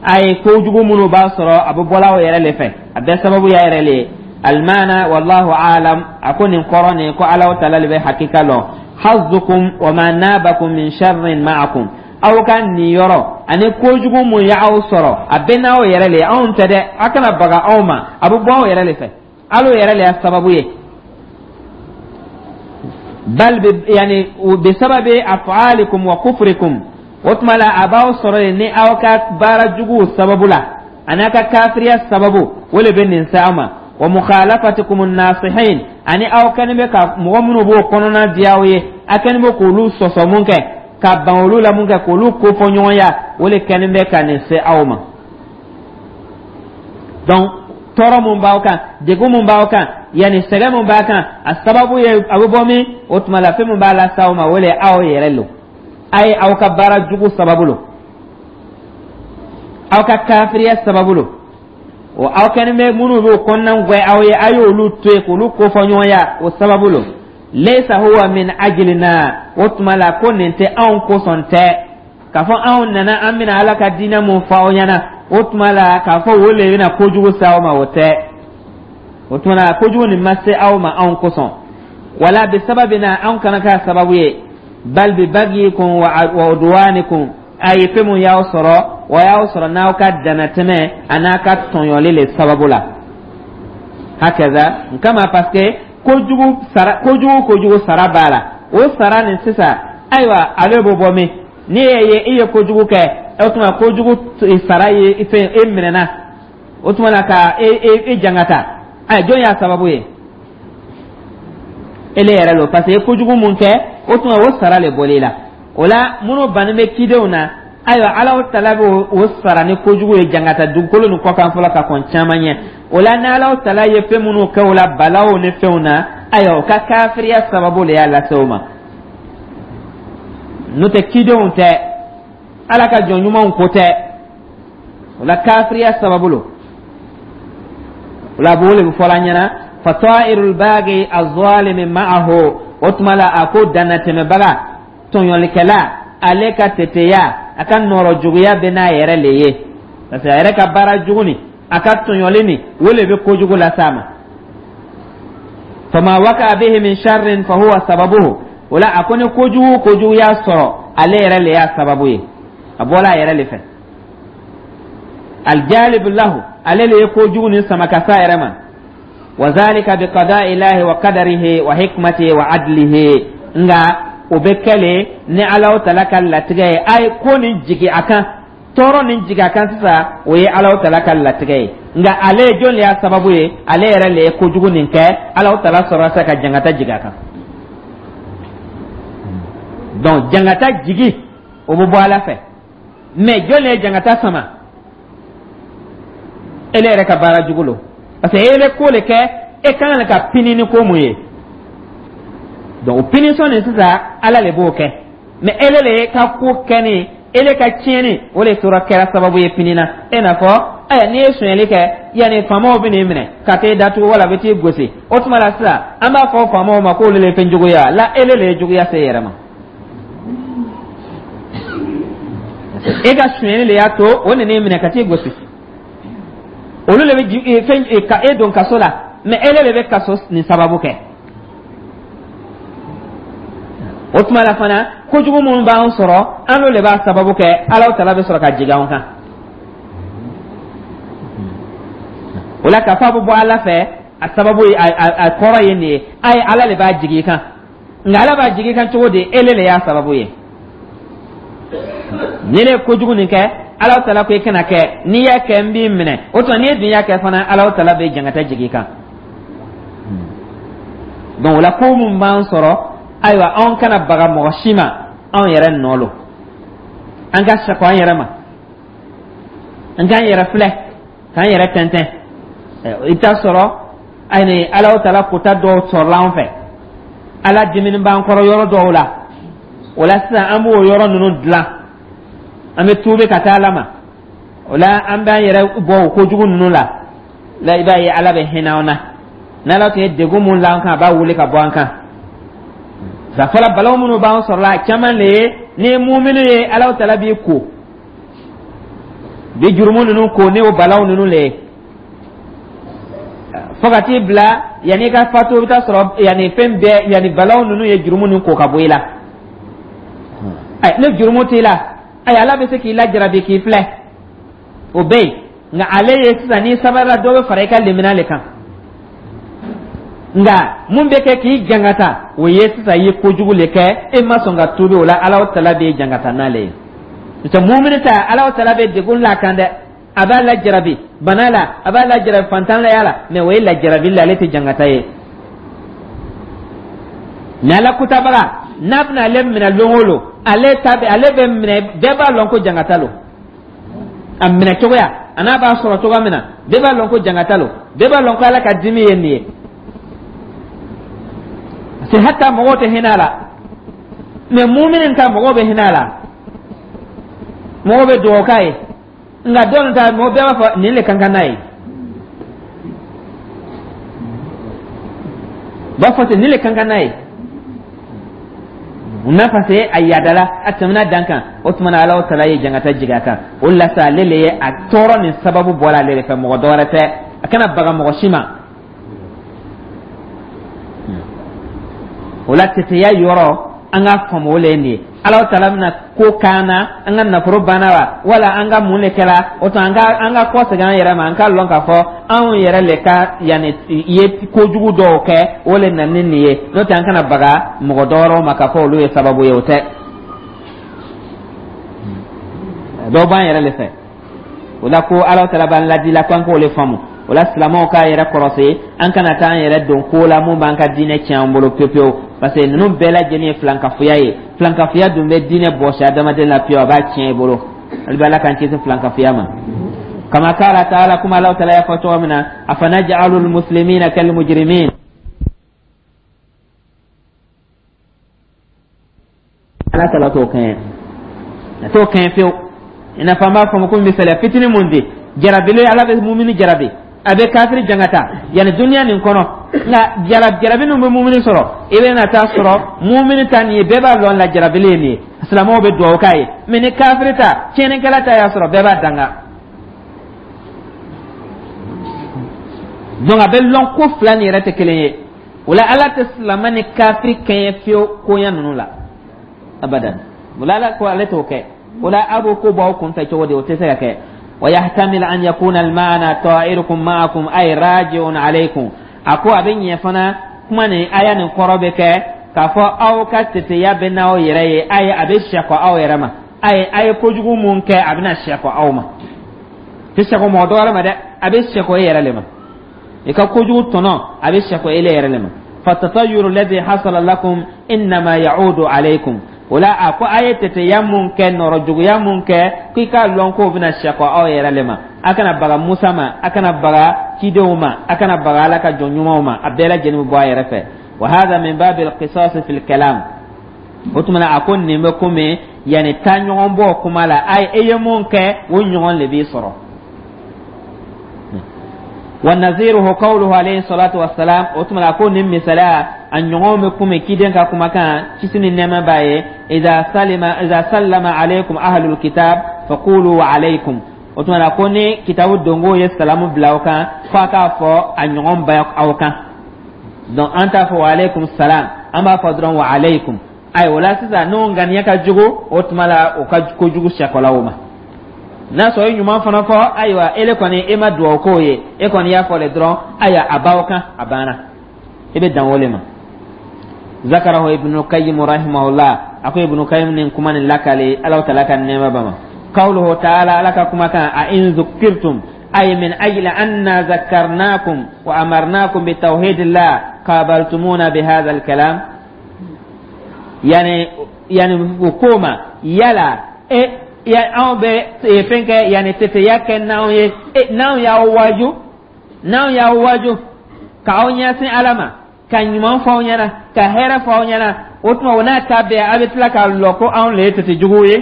A ye kojugu minnu b'a sɔrɔ, a bɛ bɔla aw yɛrɛ le fɛ, a bɛɛ sababu y'a yɛrɛ le ye. Almana wallahu alam. A ko nin kɔrɔ nin ko Alaw taala le bɛ hakika lɔn. Hazzukum wa ma nabakum min sharrin ma'akum, aw ka nin yɔrɔ ani kojugu mun y'aw sɔrɔ, a bɛɛ n'aw yɛrɛ le ye, anw tɛ dɛ. A kana baga anw ma, a bɛ bɔ aw yɛrɛ le fɛ, al'o yɛrɛ le y'a sababu ye. Bal bi yani bisababi af'alikum wa kufrikum. O tuma la, a b'aw sɔrɔ yen ni aw ka baara juguw sababu la, ani aw ka kafiriya sababu, o le bɛ nin se aw ma. Wa mukhalafatikum an-nasihin, ani aw kɛlen bɛ ka mɔgɔ minnu b'o kɔnɔna diya aw ye, a kɛlen bɛ k'olu sɔsɔ mun kɛ, ka ban olu la mun kɛ, k'olu kofɔ ɲɔgɔnya, o le kɛlen bɛ ka nin se aw ma. Donc tɔɔrɔ mun b'aw kan, degun mun b'aw kan, yanni sɛgɛn mun b'a kan, a sababu ye a bɛ bɔ min? O tuma la, fɛn mun b'a lase aw ma, o le ye aw yɛrɛ lo, a ye aw ka baara jugu sababu lo, aw ka kafiriya sababu lo. O aw kɛlen bɛ minnu b'o kɔnɔna gwɛ aw ye, a y'olu to yen k'olu kofɔ ɲɔgɔnya, o sababu lo. Laysa huwa min ajlina. O tuma la, ko nin tɛ anw kosɔn tɛ, k'a fɔ anw nana, an bɛna Ala ka diinɛ mun fɔ aw ɲɛna. O tuma la, k'a fɔ o le bɛna kojugu se aw ma, o tɛ. O tuma la, kojugu nin ma se aw ma anw kosɔn, wala bi sababina, anw kana k'a sababu ye. Bal bi bagiyikum wa udwanikum, a ye fɛn mun y'aw sɔrɔ, o y'aw sɔrɔ n'aw ka danatɛmɛ a n'a ka tɔɲɔli le sababu la. Hakaza kama, parce que Kojugu sara, kojugu kojugu sara b'a la. O sara nin sisan, ayiwa, ale b'o bɔ min? N'i ye ye i ye kojugu kɛ, o tuma kojugu sara ye fɛn e minɛna, o tuma na ka e e e jangata. Ayi, jɔn y'a sababu ye? Ele yɛrɛ lo, parce que i kojugu mun kɛ, o tuma o sara le bɔl'i la. O la, minnu bannen bɛ cidenw na, ayiwa, Alahu Tala bɛ o sara ni kojugu ye, jangata dugukolo nin kɔ kan fɔlɔ ka kɔn caman ɲɛ. O la, ni Alahu Tala ye fɛn minnu kɛ o la, balaw ni fɛnw na, ayiwa, o ka kafiriya sababu le y'a lase o ma. N'o tɛ, cidenw tɛ, Ala ka jɔn ɲumanw ko tɛ. O la, kafiriya sababu lo. O la, a b'o le bɛ fɔla an ɲɛna: fata'irul baghi az-zalimi ma'ahu. O tuma la, a ko dannatɛmɛbaga tɔɲɔlikɛla, ale ka teteya, a ka nɔrɔ juguya bɛ n'a yɛrɛ le ye, parce que a yɛrɛ ka baara jugu ni a ka tɔɲɔli ni, o le bɛ kojugu las'a ma. Fama waka bihi min sharrin fahuwa sababuhu. O la, a ko ni kojugu kojugu y'a sɔrɔ, ale yɛrɛ le y'a sababu ye, a bɔla a yɛrɛ le fɛ. Aljalib lahu, ale le ye kojugu ni sama ka s'a yɛrɛ ma. Wa zalika bi qada'i llahi wa qadarihi wa hikmatihi wa adlihi. Nga o bɛ kɛ le ni Alahu Tala ka latigɛ ye. A ye ko nin jigi a kan, tɔɔrɔ nin jigi a kan sisan, o ye Alahu Tala ka latigɛ ye. Nka ale jɔn de y'a sababu ye? Ale yɛrɛ le ye kojugu nin kɛ. Alahu Tala sɔrɔ sa ka jangata jigi a kan. Donc jangata jigi, o bɛ bɔ Ala fɛ, mais jɔn de ye jangata sama? Ele yɛrɛ ka baara jugu lo, parce que ele ko le kɛ e kan ka pini ni ko mun ye. Donc o punition nin sisan, Ala le b'o kɛ, mais ele le ka ko kɛ ni ele ka tiɲɛni, o de tora kɛra sababu ye pini na. E n'a fɔ ɛ, n'i ye sonyɛli kɛ, yanni faamaw bɛ n'i minɛ ka t'e datugu wala bɛ t'i gosi, o tuma la sisan, an b'a fɔ faamaw ma k'olu le ye fɛn juguya la. Ele le ye juguya se e yɛrɛ ma. E ka sonyɛli le y'a to o nan'i minɛ ka t'i gosi. Olu le bɛ fɛn ka e don kaso la, mais ele le bɛ kaso nin sababu kɛ. O tuma la fana, kojugu minnu b'an sɔrɔ, an n'o le b'a sababu kɛ. Alahu Tala bɛ sɔrɔ ka jigin an kan. O la, k'a fɔ a bɛ bɔ Ala fɛ, a sababu ye, a kɔrɔ ye nin ye: a ye Ala le b'a jigin i kan. Nka Ala b'a jigin i kan cogo di? Ele le y'a sababu ye. Ni ne ye kojugu nin kɛ, Alahu Tala ko i kana kɛ, n'i y'a kɛ, n b'i minɛ. O tuma, n'i dun y'a kɛ fana, Alahu Tala bɛ jangata jigin i kan. Donc o la, ko mun b'an sɔrɔ, ayiwa, anw kana baga mɔgɔ si ma, anw yɛrɛ nɔ lo. An ka sako an yɛrɛ ma, an k'an yɛrɛ filɛ, k'an yɛrɛ tɛntɛn. I bɛ taa sɔrɔ ayi, Alahu Tala kota dɔw sɔrɔla an fɛ, Ala dimini b'an kɔrɔ yɔrɔ dɔw la. O la sisan, an b'o yɔrɔ ninnu dilan, an bɛ tuubi ka taa Ala ma. O la, an b'an yɛrɛ bɔ o kojugu ninnu la la. I b'a ye, Ala bɛ hinɛ an na. N'Ala tun ye degun mun la an kan, a b'a wuli ka bɔ an kan. Fɔlɔ, balawu minnu b'an sɔrɔ la, caman le ye ni ye muminu ye, Alahu Tala b'i ko bi jurumu ninnu ko ni o balawu ninnu le ye, fo ka t'i bila yanni i ka fatu, i bɛ taa sɔrɔ yanni fɛn bɛɛ, yanni balawu ninnu ye jurumu ninnu ko ka bɔ i la. Ayi, ni jurumu t'i la, ayi, Ala bɛ se k'i lajarabi k'i filɛ, o bɛ yen. Nka ale ye sisan, n'i sabalila, dɔ bɛ fara i ka limina le kan. Nka mun bɛ kɛ k'i jangata, o ye sisan i ye kojugu le kɛ, e ma sɔn ka tuubi. O la, Alahu Tala b'e jangata n'ale ye. N'o tɛ, mumini ta, Alahu Tala bɛ degun la kan dɛ, a b'a lajarabi bana la, a b'a lajarabi fantanlaya la, mais o ye lajarabi la, ale tɛ jangata ye. Ni Ala kutabaga n'a bɛna ale minɛ lon o lon, ale ta bɛ ale bɛ minɛ, bɛɛ b'a lɔn ko jangata lo. A minɛ cogoya a n'a b'a sɔrɔ cogoya min na, bɛɛ b'a lɔn ko jangata lo, bɛɛ b'a lɔn ko Ala ka dimi ye nin ye. Parce que hata mɔgɔw tɛ hinɛ a la, mais mumini ta, mɔgɔw bɛ hinɛ a la, mɔgɔw bɛ dugawu k'a ye. Nka dɔw ta, mɔgɔ bɛɛ b'a fɔ nin le kan ka n'a ye, b'a fɔ ten, nin le kan ka n'a ye. Munna? Parce que a yadala, a tɛmɛna dan kan. O tuma na, Alahu Tala ye jangata jigin a kan. O la sa, ale le ye a tɔɔrɔ nin sababu bɔra ale de fɛ, mɔgɔ dɔ wɛrɛ tɛ. A kana baga mɔgɔ si ma. O la, teteya yɔrɔ An ka faamu o le ye nin ye. Ala taala bɛna ko k'an na, an ka nafolo banna wa, wala an ka mun de kɛra o tuma, an ka an ka kɔ segin an yɛrɛ ma, an ka lɔn k'a fɔ anw yɛrɛ le ka yanni ye kojugu dɔw kɛ, o le nana ni nin ye. N'o tɛ, an kana baga mɔgɔ dɔwɛrɛw ma k'a fɔ olu ye sababu ye, o tɛ. Dɔw b'an yɛrɛ le fɛ. O la ko Ala taala b'an ladi la ko an k'o le faamu. O la, silamɛw k'a yɛrɛ kɔrɔsi, an kana taa an yɛrɛ don ko la mun b'an ka diinɛ tiɲɛ an bolo pewu pewu, parce que ninnu bɛɛ lajɛlen ye filankafoya ye. Filankafoya dun bɛ diinɛ bɔsi adamaden la pewu, a b'a tiɲɛ i bolo. Hali bi, Ala k'an kisi filankafoya ma. Kama kala taala, kuma Ala taala y'a fɔ cogo min na: afanaj'alu almuslimina kalmujrimin. Ala taala t'o kɛɲɛ, a t'o kɛɲɛ fiyewu. I n'a fɔ an b'a fɔ ko misaliya fitinin mun di: jarabili, Ala bɛ mumini jarabi, a bɛ kafiri jangata yanni duniya nin kɔnɔ. Nka jarabi ninnu bɛ mumini sɔrɔ, i bɛ na taa sɔrɔ mumini ta nin ye, bɛɛ b'a lɔn la jarabili ye nin ye, silamɛw bɛ dugawu k'a ye. Mɛ ni kafiri ta, tiɲɛnikɛla ta y'a sɔrɔ, bɛɛ b'a danga. Donc a bɛ lɔn ko fila nin yɛrɛ tɛ kelen ye. O la, Ala tɛ silamɛ ni kafiri kɛɲɛ fiyewu koɲɛ ninnu la abadan. O la, Ala ko ale t'o kɛ. O la, a b'o ko bɔ aw kun fɛ cogo di? O tɛ se ka kɛ. ويحتمل أن يكون المعنى طائركم معكم، أي راجع عليكم. A ko a bɛ ɲɛ fana, kuma nin aya nin kɔrɔ bɛ kɛ k'a fɔ aw ka teteya bɛ n'aw yɛrɛ ye, a ye a bɛ sɛkɔ aw yɛrɛ ma, a ye a ye kojugu mun kɛ, a bɛna sɛkɔ aw ma. Tɛ sɛkɔ mɔgɔ dɔ wɛrɛ ma dɛ, a bɛ sɛkɔ e yɛrɛ le ma. I ka kojugu tɔnɔ, a bɛ sɛkɔ e yɛrɛ le ma. فالتطير الذي حصل لكم إنما يعود عليكم. O la, a ko a ye teteya mun kɛ, nɔrɔ juguya mun kɛ, k'i k'a lɔn k'o bɛna sɛkɔ aw yɛrɛ le ma. A kana baga Musa ma, a kana baga cidenw ma, a kana baga Ala ka jɔn ɲumanw ma, a bɛɛ lajɛlen bɛ bɔ a yɛrɛ fɛ. وهذا من باب القصاص في الكلام. O tuma na, a ko nin bɛ komi yanni taa ɲɔgɔn bɔ kuma la, ayi, e ye mun kɛ, o ɲɔgɔn le b'i sɔrɔ. ونظيره قوله عليه الصلاة والسلام. O tuma na, ko nin misaliya a ɲɔgɔn bɛ komi ciden ka kumakan, kisi ni nɛɛma b'a ye: إذا سلم إذا سلم عليكم أهل الكتاب فقولوا وعليكم. O tuma na, ko ni kitabu dongo ye salamu bila aw kan, fo a k'a fɔ a ɲɔgɔn bɛ aw kan. Donc an t'a fɔ وعليكم السلام, an b'a fɔ dɔrɔn وعليكم. Ayi, o la sisan, n'o ŋaniya ka jugu, o tuma la o ka kojugu sɛkɔla o ma. N'a sɔrɔ i ɲuman fana fɔ, ayiwa, ele kɔni e ma dugawu k'o ye, e kɔni y'a fɔ le dɔrɔn, ayiwa, a b'aw kan, a banna, i bɛ dan o le ma. ذكره ابن القيم رحمه الله. A ko Ibn Qayyim nin kuma nin lakale, Ala taala ka nɛɛma ba ma. قوله تعالى, Ala ka kuma kan: أئن ذكرتم، أي من أجل أنا ذكرناكم وأمرناكم بتوحيد الله قابلتمونا بهذا الكلام. يعني يعني وكوما يلا e ya anw bɛ fɛn kɛ, yanni teteya kɛ n'anw ye, n'anw y'aw waaju n'anw y'aw waaju k'aw ɲɛsin Ala ma, ka ɲuman fɔ aw ɲɛna, ka hɛrɛ fɔ aw ɲɛna, o tuma o n'a ta bɛɛ, a bɛ tila k'a lɔ ko anw le ye tete juguw ye.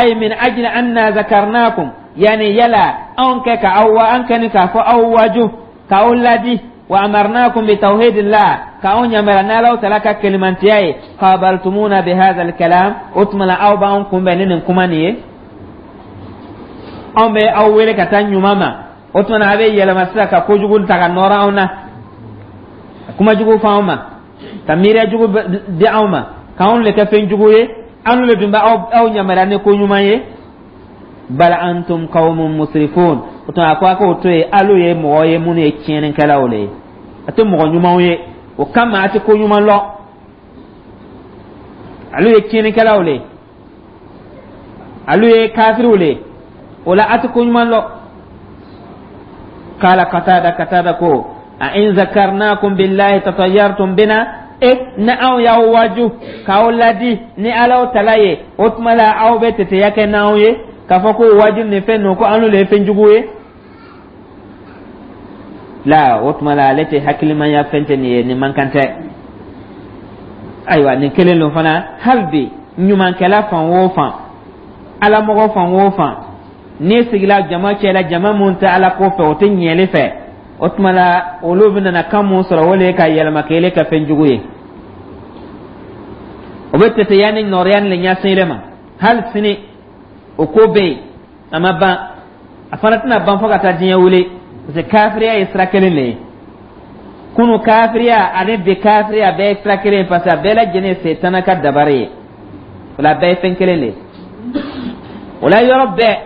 أي من أجل أنا ذكرناكم، يعني yala anw kɛ ka aw wa an kɛni k'a fɔ aw waaju, k'aw ladi, وأمرناكم بتوحيد الله، k'aw ɲamara n'Alaw tala ka kelimantiya ye، قابلتمونا بهذا الكلام. O tuma la, aw b'anw kunbɛn ni nin kuma nin ye. Anw bɛ aw wele ka taa ɲuman ma, o tuma na a bɛ yɛlɛma sisan ka kojugu ta ka nɔrɔ anw na, ka kuma jugu fɔ anw ma, ka miiriya jugu di anw ma, k'anw le kɛ fɛn jugu ye. Anw le dun bɛ aw aw ɲamara ni ko ɲuman ye. بل أنتم قوم مسرفون. O tuma, a ko a k'o to yen, alu ye mɔgɔ ye minnu ye tiɲɛnikɛlaw le ye, a tɛ mɔgɔ ɲumanw ye, o kama a tɛ ko ɲuman lɔn. Alu ye tiɲɛnikɛlaw le ye, alu ye kafiriw le ye, o la a tɛ ko ɲuman lɔn. قال قتادة, Katada ko: أئن ذكرناكم بالله تطيرتم بنا. E ni anw y'aw waaju k'aw ladi ni Alaw tala ye, o tuma la aw bɛ teteya kɛ n'anw ye k'a fɔ ko waaju nin fɛn ninnu, ko an le ye fɛn jugu ye la. O tuma la, ale tɛ hakilimaya fɛn tɛ nin ye, nin man kan tɛ. Ayiwa, nin kelen don fana. Hali bi, ɲumankɛla fan o fan, alamɔgɔ fan o fan, n'i sigila jama cɛ la, jama mun tɛ Ala ko fɛ, o tɛ ɲɛli fɛ, o tuma la olu bɛna kan mun sɔrɔ, o le ye ka yɛlɛma k'ele ka fɛn jugu ye. O bɛ teteya ni nɔrɔya ni le ɲɛsin ile ma. Hali sini o ko bɛ yen, a ma ban, a fana tɛna ban fo ka taa diɲɛ wuli, parce que kafiriya ye sira kelen de ye. Kunu kafiriya ani bi kafiriya bɛɛ ye sira kelen ye, parce que a bɛɛ lajɛlen ye setana ka dabari ye. O la, a bɛɛ ye fɛn kelen de ye. O la, yɔrɔ bɛɛ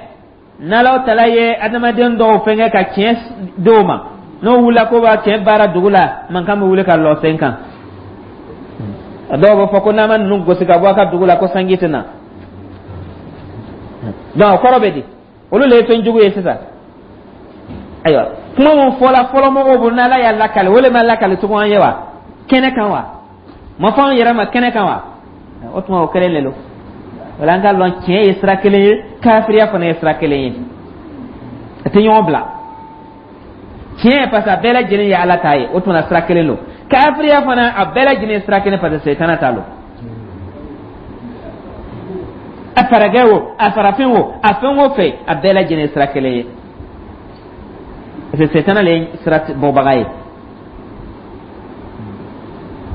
n'Alaw tala ye adamaden dɔw fɛnkɛ ka tiɲɛ d'o ma, n'o wulila ko b'a tiɲɛ baara dugu la, mankan bɛ wuli ka lɔ sen kan. A dɔw b'a fɔ ko n'an ma ninnu gosi ka bɔ a ka dugu la, ko sanji tɛ na. Donc o kɔrɔ bɛ di? Olu le ye fɛn jugu ye sisan. Ayiwa, kuma mun fɔla fɔlɔ mɔgɔw bolo, n'Ala y'a lakale, o le ma lakale tugun an ye wa kɛnɛ kan wa ma fɔ an yɛrɛ ma kɛnɛ kan wa. O tuma, o kelen de don. Wala an ka lɔn, tiɲɛ ye sira kelen ye, kafiriya fana ye sira kelen ye, a tɛ ɲɔgɔn bila. Tiɲɛ, parce que a bɛɛ lajɛlen ye Ala ta ye, o tuma sira kelen don. Kafiriya fana, a bɛɛ lajɛlen ye sira kelen, parce que setana ta don. A faragɛ o, a farafin o, a fɛn o fɛn, a bɛɛ lajɛlen ye sira kelen ye, parce que setana le ye sira bɔbaga ye.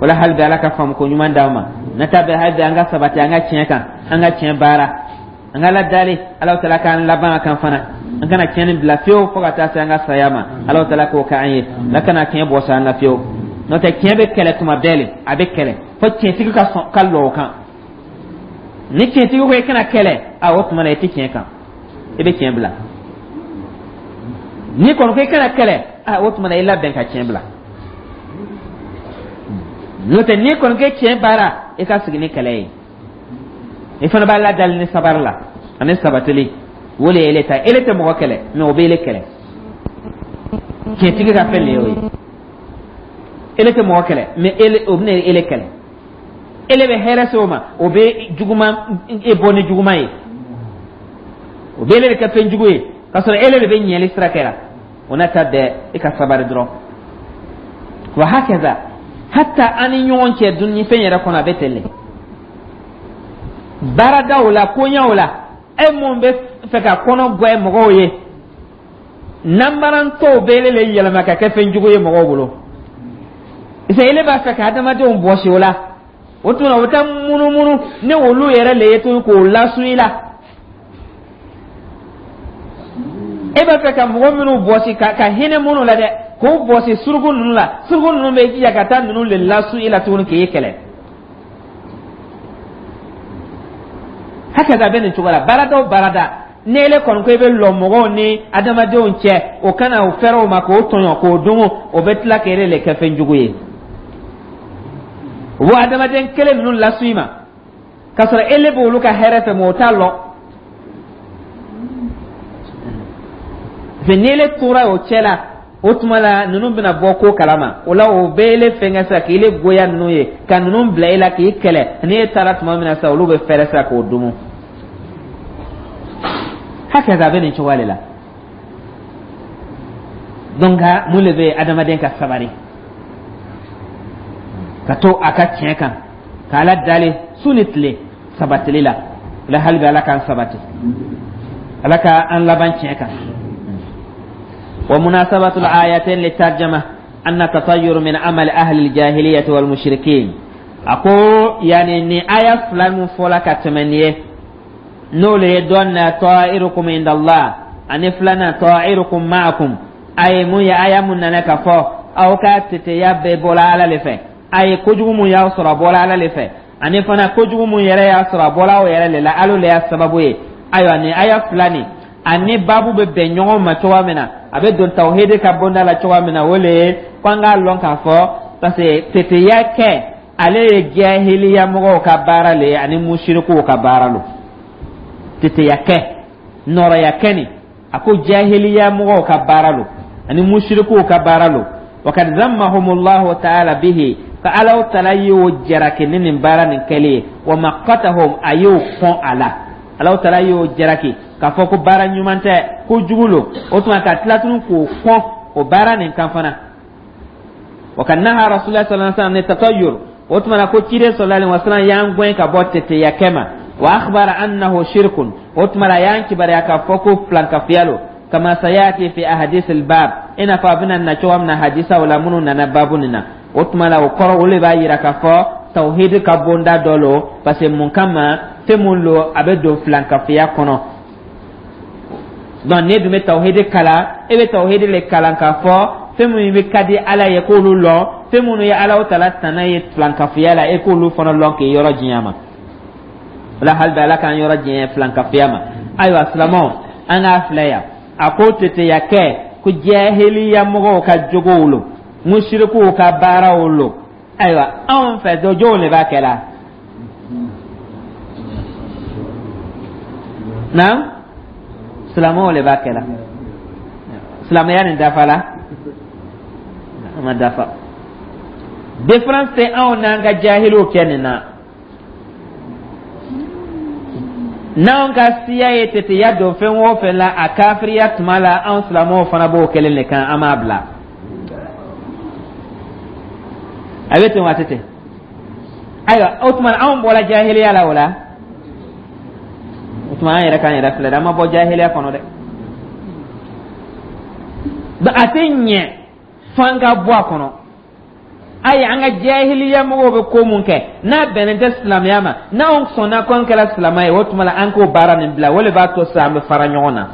Wala hali bi, Ala ka faamu ko ɲuman d'an ma. Na ta bɛ hali bi, an ka sabati an ka tiɲɛ kan, an ka tiɲɛ baara, an ka Ala dali, Ala tala k'an laban a kan fana. An kana tiɲɛni bila fiyewu fo ka taa se an ka saya ma. Ala tala k'o k'an ye, ala kana tiɲɛ bɔ sa an na fiyewu. N'o tɛ, tiɲɛ bɛ kɛlɛ tuma bɛɛ le, a bɛ kɛlɛ fo tiɲɛtigi ka sɔn ka lɔ o kan. Ni tiɲɛtigi ko i kana kɛlɛ, a o tuma na i tɛ tiɲɛ kan, i bɛ tiɲɛ bila. N'i kɔni ko i kana kɛlɛ, a o tuma na i labɛn ka tiɲɛ bila. N'o tɛ, n'i kɔni kɛ tiɲɛ baara, i ka sigi ni kɛlɛ ye, i fana b'a ladali ni sabari la ani sabatili. O le ye ele ta. Ele tɛ mɔgɔ kɛlɛ, mɛ o bɛ ele kɛlɛ. Tiɲɛtigi ka fɛn le ye o ye. Ele tɛ mɔgɔ kɛlɛ, mɛ ele, o bɛna ele kɛlɛ. Ele bɛ hɛrɛ se o ma, o bɛ juguman e bɔ ni juguman ye, o bɛ ele de kɛ fɛn jugu ye, k'a sɔrɔ ele de bɛ ɲɛli sira kɛra. O n'a ta bɛɛ, i ka sabari dɔrɔn. Wa hakaza, hatta an ni ɲɔgɔn cɛ, dunni fɛn yɛrɛ kɔnɔ, a bɛ ten de. Baaradaw la, koɲɛw la, e mun bɛ fɛ ka kɔnɔ gɛn mɔgɔw ye, nanbarantɔw bɛ ele le yɛlɛma ka kɛ fɛn jugu ye mɔgɔw bolo. Parce que ele b'a fɛ ka adamadenw bɔsi o la, o tuma o bɛ taa munumunu ni olu yɛrɛ le ye tuguni k'o lasu i la. E b'a fɛ ka mɔgɔ minnu bɔsi ka ka hinɛ minnu la dɛ, k'o bɔsi suruku ninnu la, suruku ninnu bɛ jija ka taa ninnu le lasu i la tuguni k'e kɛlɛ. Hakɛ bɛ nin cogo la baarada o baarada. Ni ele kɔni ko i bɛ lɔ mɔgɔw ni adamadenw cɛ, o kana o fɛrɛ o ma k'o tɔɲɔ k'o dogo, o bɛ tila k'e le kɛ fɛn jugu ye. O b'o adamaden kelen ninnu lasu i ma, k'a sɔrɔ ele b'olu ka hɛrɛ fɛ, mɛ o t'a lɔ. Parce que ni ele tora o cɛ la, o tuma la ninnu bɛna bɔ ko kalama. O la, o bɛ ele fɛnkɛ sisan k'ele goya ninnu ye, ka ninnu bila e la k'i kɛlɛ. Ni e taara tuma min na sisan, olu bɛ fɛrɛ sisan k'o dumu. Hakɛ a bɛ nin cogoya de la. Donc mun de bɛ yen? Adamaden ka sabari ka to a ka tiɲɛ kan, ka Ala dali su ni tile sabatili la. O la, hali bi, Ala k'an sabati, Ala ka an laban tiɲɛ kan. ومناسبة الآيتين للترجمة أن التطير من عمل أهل الجاهلية والمشركين. أقول يعني ني آية فلان فولا كتمنية نولي دون طائركم عند الله أن فلان طائركم معكم، أي مو يا آية من نكفو أو كاتتيا بولا على لفه، أي kojugu mun y'aw sɔrɔ, a bɔra Ala le fɛ, ani fana kojugu mun yɛrɛ y'a sɔrɔ, a bɔra aw yɛrɛ le la, Ala le y'a sababu ye. Ayiwa, nin aya fila nin ani baabu bɛ bɛn ɲɔgɔn ma cogoya min na, a bɛ don tawhidi ka bonda la cogoya min na, o le ye ko an k'a lɔn k'a fɔ, parce que teteya kɛ, ale ye jahiliya mɔgɔw ka baara le ye ani musirikuw ka baara lo. Teteya kɛ, nɔrɔya kɛ nin, a ko jahiliya mɔgɔw ka baara lo ani musirikuw ka baara lo. Wakad zammahumullahu ta'ala bihi, ka Alaw tala y'o jaraki ni nin baara nin kɛli ye. Wa maqatahum, a y'o kɔn a la. Alaw tala y'o jaraki k'a fɔ ko baara ɲuman tɛ, ko jugu lo. O tuma ka tila tuguni k'o kɔn o baara nin kan fana. Wa ka naha Rasulullah sallallahu alaihi wasallam ni tatayyur, o tuma na ko ciden sallallahu alaihi wasallam y'an gɛn ka bɔ teteya kɛ ma. Wa akhbara annahu shirkun, o tuma la y'an kibaruya k'a fɔ ko filankafiya lo. Kama sayati fi ahadith al-bab, i n'a fɔ a bɛna na cogoya min na hadisaw la minnu nana baabu nin na. O tuma la, o kɔrɔ, o de b'a yira k'a fɔ tawhid ka bonda dɔ lo, parce que mun kama, fɛn mun lo, a bɛ don filankafiya kɔnɔ. Donc ne dun bɛ tawhid kalan, e bɛ tawhid le kalan k'a fɔ Fɛn minnu bɛ ka di Ala ye, k'olu lɔn. Fɛn minnu ye Ala tala tana ye filankafoya la, e k'olu fana lɔn k'i yɔrɔ janya ma. O la, hali bi Ala k'an yɔrɔ janya filankafoya ma. Ayiwa silamɛw, an k'a filɛ yan. A ko teteya kɛ ko jahiliya mɔgɔw ka jogow lo, musirikuw ka baaraw lo. Ayiwa, anw fɛ dɔ jɔnw de b'a kɛ la? Naam, silamɛw de b'a kɛ la. Silamɛya nin dafa la, a ma dafa. Différence tɛ anw n'an ka jahiliw kɛ nin na. N'anw ka siya ye teteya don fɛn o fɛn la a kafiriya tuma la, anw silamɛw fana b'o kelen de kan, an m'a bila. A bɛ ten wa, a tɛ ten? Ayiwa, o tuma anw bɔra jahiliya la o la. O tuma an yɛrɛ k'an yɛrɛ filɛ dɛ, an ma bɔ jahiliya kɔnɔ dɛ. A tɛ ɲɛ f'an ka bɔ a kɔnɔ. Ayi, an ka jahiliya mɔgɔw bɛ ko mun kɛ n'a bɛnnen tɛ silamɛya ma, n'anw sɔnna ko an kɛra silamɛ ye, o tuma la an k'o baara nin bila. O de b'a to sisan an bɛ fara ɲɔgɔn na,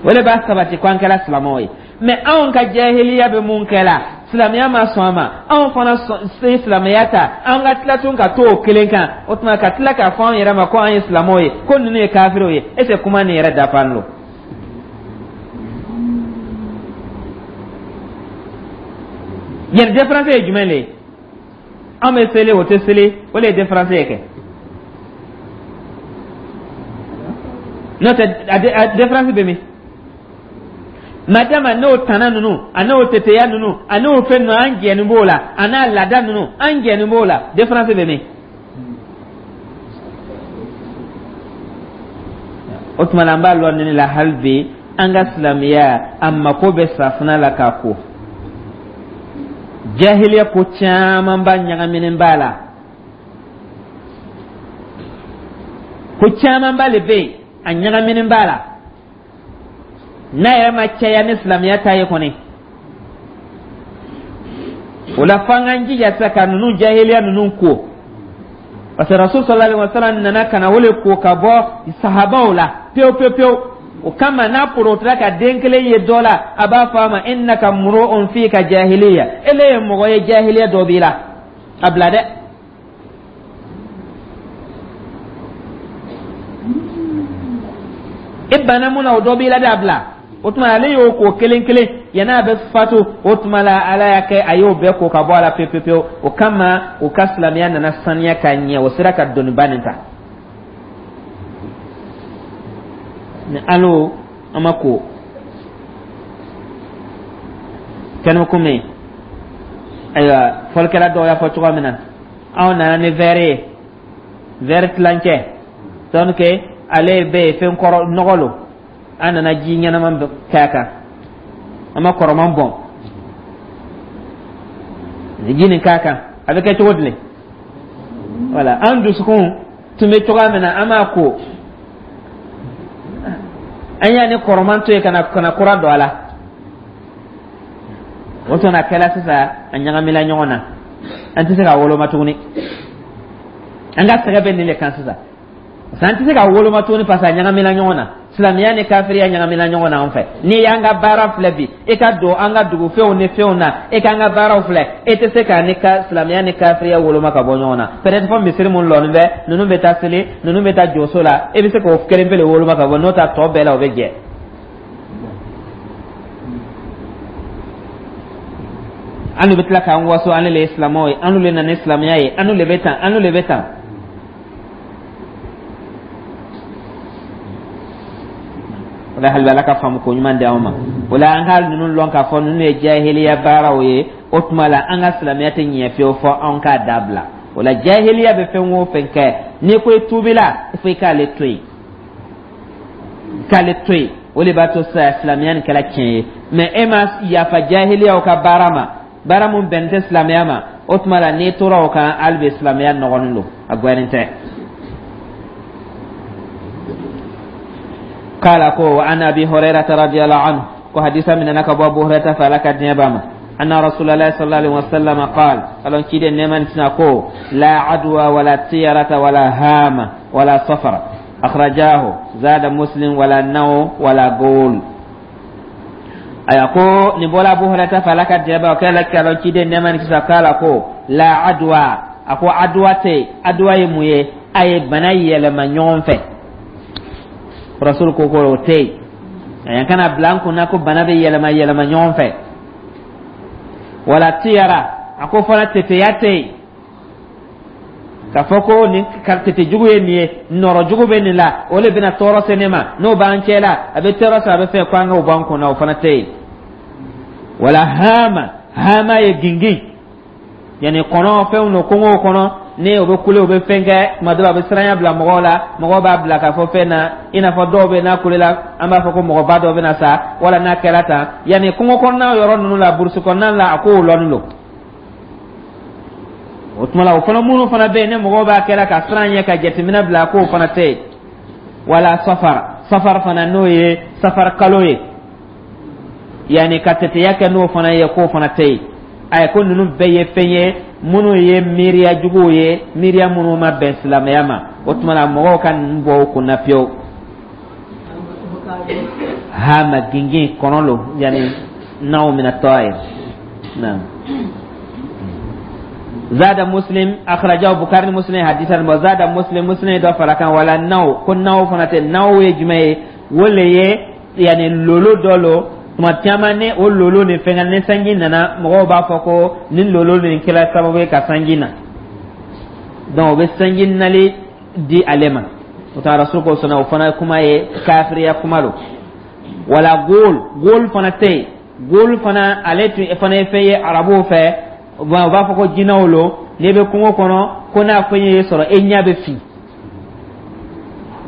o de b'a sabati ko an kɛra silamɛw ye. Mɛ anw ka jahiliya bɛ mun kɛ la, silamɛya ma sɔn a ma, anw fana ye silamɛya ta, an ka tila tun ka to o kelen kan. O tuma ka tila k'a fɔ an yɛrɛ ma ko an ye silamɛw ye, ko ninnu ye kafiriw ye, est ce que kuma nin yɛrɛ dafalen don? Yɛrɛ différence ye jumɛn de ye? An bɛ seli, o tɛ seli, o de ye différence ye kɛ. N'o tɛ, a différence bɛ min? Madama n'o tana ninnu, a n'o teteya ninnu, a n'o fɛn ninnu, an jɛni b'o la, a n'a laada ninnu, an jɛni b'o la, différence bɛ min? O tuma la, an b'a lɔn nin la hali bi, an ka silamɛya a mako bɛ safunɛ la k'a ko. Jahiliya ko caman ba ɲagaminen b'a la, ko caman ba le bɛ yen a ɲagaminen b'a la, n'a yɛrɛ ma caya ni silamɛya ta ye kɔni. O la, f'an k'an jija sisan ka ninnu jahiliya ninnu ko, parce que Rasul sallallahu alaihi wa sallam nana ka na o le ko ka bɔ sahabaw la pewu pewu pewu. O kama n'a porotira ka den kelen ye dɔ la, a b'a fɔ a ma: innaka mru'un fika jahiliya, ele ye mɔgɔ ye, jahiliya dɔ b'i la, a bila dɛ. I banna mun na, o dɔ b'i la dɛ, a bila. O tuma ale y'o ko kelen kelen yanni a bɛ fatu. O tuma la, Ala y'a kɛ a y'o bɛɛ ko ka bɔ a la pewu pewu pewu. O kama o ka silamɛya nana saniya ka ɲɛ, o sera ka doniba nin ta. Ni alo an ma ko kɛnɛ komi, ayiwa, fɔlikɛla dɔw y'a fɔ cogoya min na, anw nana ni vɛri ye, vɛri tilancɛ, donc ale bɛ yen fɛn kɔrɔ nɔgɔ lo, an nana ji ɲɛnama kɛ a kan, an ma kɔrɔman bɔn ji nin k'a kan, a bɛ kɛ cogo di? Wala an dusukun tun bɛ cogoya min na, an m'a ko, an y'a ni kɔrɔman to yen ka na ka na kura don a la. O tuma a kɛla sisan a ɲagamina ɲɔgɔn na, an tɛ se k'a woloma tuguni. An ka sɛgɛ bɛ nin de kan sisan, parce que an tɛ se k'a woloma tuguni, parce que a ɲagamina ɲɔgɔn na. Silamɛya ni kafiriya ɲagamina ɲɔgɔn na an fɛ. N'i y'an ka baara filɛ bi, i ka don an ka dugufɛnw ni fɛnw na, i k'an ka baaraw filɛ, e tɛ se k'a ni ka silamɛya ni kafiriya woloma ka bɔ ɲɔgɔn na. Peut-être fɔ misiri mun lɔnin bɛ, ninnu bɛ taa seli, ninnu bɛ taa jɔso la, e bɛ se k'o kelen pe de woloma ka bɔ, n'o tɛ tɔ bɛɛ la o bɛ jɛ. An bɛ tila k'an waso, an le ye silamɛw ye, an le nana ni silamɛya ye, an le bɛ tan, an le bɛ tan. O la, hali Ala ka faamu ko ɲuman di anw ma. O la, an ka ninnu lɔn k'a fɔ ninnu ye jahiliya baaraw ye. O tuma la, an ka silamɛya tɛ ɲɛ fiyewu fɔ anw k'a dabila. O la, jahiliya bɛ fɛn o fɛn kɛ, n'i ko i tuubila, fo i k'ale to yen, k'ale to yen. O de b'a to sisan silamɛya nin kɛra tiɲɛ ye. Mɛ e ma yafa jahiliyaw ka baara ma, baara mun bɛnnen tɛ silamɛya ma, o tuma la n'i tora o kan, hali bi silamɛya nɔgɔlen don, a gwɛnnen tɛ. قال كو عن ابي هريره رضي الله عنه، وحديث من انك ابو هريره فلك الدنيا، ان رسول الله صلى الله عليه وسلم قال قال كيد نمان تنكو لا عدوى ولا طيرة ولا هامة ولا صفر. اخرجاه، زاد مسلم: ولا نو ولا قول. Aya, ko nin bɔla Abu Hurairah fɛ, Ala ka diɲɛ b'a o kɛra kɛlɛ ciden nɛɛma ni kisi k'a la, ko la adwa. A ko adwa tɛ. Adwa ye mun ye? A ye bana yɛlɛma ɲɔgɔn fɛ. Rasul ko ko o tɛ yen. A kana bila an kunna ko bana bɛ yɛlɛma yɛlɛma ɲɔgɔn fɛ. Wala tiyara. A ko fana teteya tɛ yen, k'a fɔ ko nin tete jugu ye nin ye, nɔrɔ jugu bɛ nin la, o de bɛna tɔɔrɔ se ne ma, n'o b'an cɛ la, a bɛ tɔɔrɔ se, a bɛ fɛ ko an k'o bɔ an kunna, o fana tɛ yen. Wala hama. Hama ye gingin, yani kɔnɔ fɛnw don kungo kɔnɔ, ni o bɛ kule, o bɛ fɛn kɛ tuma dɔ la, a bɛ siranya bila mɔgɔw la. Mɔgɔw b'a bila k'a fɔ fɛn na, i n'a fɔ dɔw bɛ n'a kulela, an b'a fɔ ko mɔgɔba dɔ bɛna sa, wala n'a kɛra tan, yanni kungo kɔnɔna yɔrɔ ninnu la, burusi kɔnɔna la, a kow lɔnnen don. O tuma la, o fana minnu fana bɛ yen, ni mɔgɔw b'a kɛra ka siran ɲɛ, ka jateminɛ bila, k'o fana tɛ yen. Wala safar. Safar fana, n'o ye safar kalo ye, yanni ka teteya kɛ n'o fana ye, k'o fana tɛ yen. Ayi, ko ninnu bɛɛ ye fɛn ye minnu ye miiriya juguw ye, miiriya minnu ma bɛn silamɛya ma. O tuma la, mɔgɔw ka ninnu bɔ o kunna pewu. Hama, gingin, kɔnɔ lo, yanni naw mina tɔɔye. Naam. Zada Muslim, akhrajahu Bukhari, Muslim hadisan bo. Zada Muslim, Muslim dɔ fara kan. Wala naw, ko naw fana tɛ. Naw ye jumɛn ye? O le ye yanni lolo dɔ lo. Tuma caman ni o lolo ni fɛn ni sanji nana, mɔgɔw b'a fɔ ko nin lolo nin kɛra sababu ye ka sanji na, donc o bɛ sanji nali di ale ma. O ta Rasul ko sɔnna, o fana kuma ye kafiriya kuma don. Wala gol. Gol fana tɛ yen. Gol fana, ale tun fana ye fɛn ye arabuw fɛ, u b'a fɔ ko jinɛw lo. N'i bɛ kungo kɔnɔ, ko n'a fɛn ye sɔrɔ, e ɲɛ bɛ fin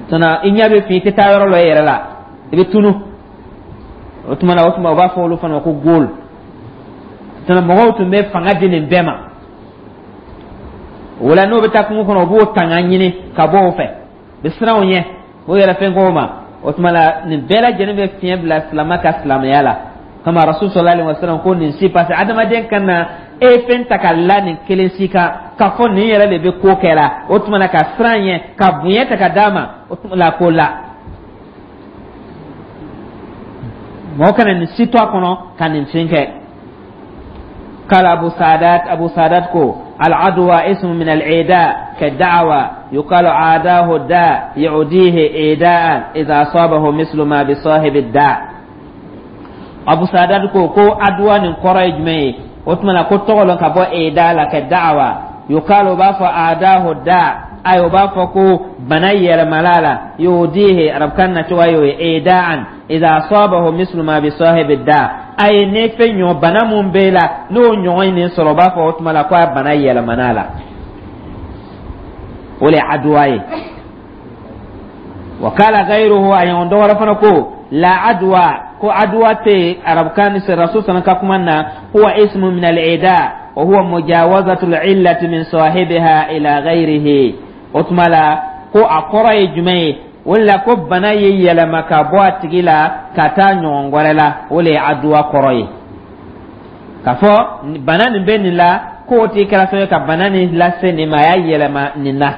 tɔnɔ, i ɲɛ bɛ fin, i tɛ taa yɔrɔ lɔ e yɛrɛ la, i bɛ tunu. O tuma na, o tuma u b'a fɔ olu fana ma ko gol tɔnɔ. Mɔgɔw tun bɛ fanga di nin bɛɛ ma. O la, n'o bɛ taa kungo kɔnɔ, u b'o tanga ɲini ka bɔ o fɛ, u bɛ siran o ɲɛ, o yɛrɛ fɛn k'o ma. O tuma la, nin bɛɛ lajɛlen bɛ fiɲɛ bila silamɛ ka silamɛya la. Kama Rasul sallallahu alaihi wasallam ko nin si, parce que adamaden ka na e ye fɛn ta ka la nin kelen si kan, k'a fɔ nin yɛrɛ de bɛ ko kɛ la, o tuma na ka siran ɲɛ, ka bonya ta ka d'a ma, o tuma la ko la mɔgɔ kana nin si to a kɔnɔ ka nin fɛn kɛ. قال أبو سادات، أبو سادات كو العدوى اسم من العداء كالدعوى، يقال عاداه الداء يعديه عداء إذا أصابه مثل ما بصاحب الداء. Abu Sadat ko ko aduwa nin kɔrɔ ye jumɛn ye? O tuma na, ko tɔgɔ lɔn ka bɔ eda la ka da'awa, yukalu, o b'a fɔ adahu da, ayi, o b'a fɔ ko bana yɛlɛmala la, yudihi, arabukan na cogoya y'o ye, eda'an idha asabahu mislu ma bi sahibi da, ayi, ne fɛn ɲɔ bana mun b'e la, n'o ɲɔgɔn ye nin sɔrɔ, o b'a fɔ o tuma la ko a bana yɛlɛmana la. O le ye aduwa ye. Wakala gairuhu, a ɲɔgɔn dɔ wɛrɛ fana ko la adwa, ko adwa tɛ arabukan ni rasul sana ka kuma na. Huwa ismu min al-ida wa huwa mujawazatu al-illati min sahibiha ila ghairihi. O tuma la, ko a kɔrɔ ye jumɛn ye? O la, ko bana ye yɛlɛma ka bɔ a tigi la ka taa ɲɔgɔn wɛrɛ la, o le ye aduwa kɔrɔ ye. K'a fɔ bana nin bɛ nin la, k'o tigi kɛra sababu ye ka bana nin lase nin ma, a y'a yɛlɛma nin na.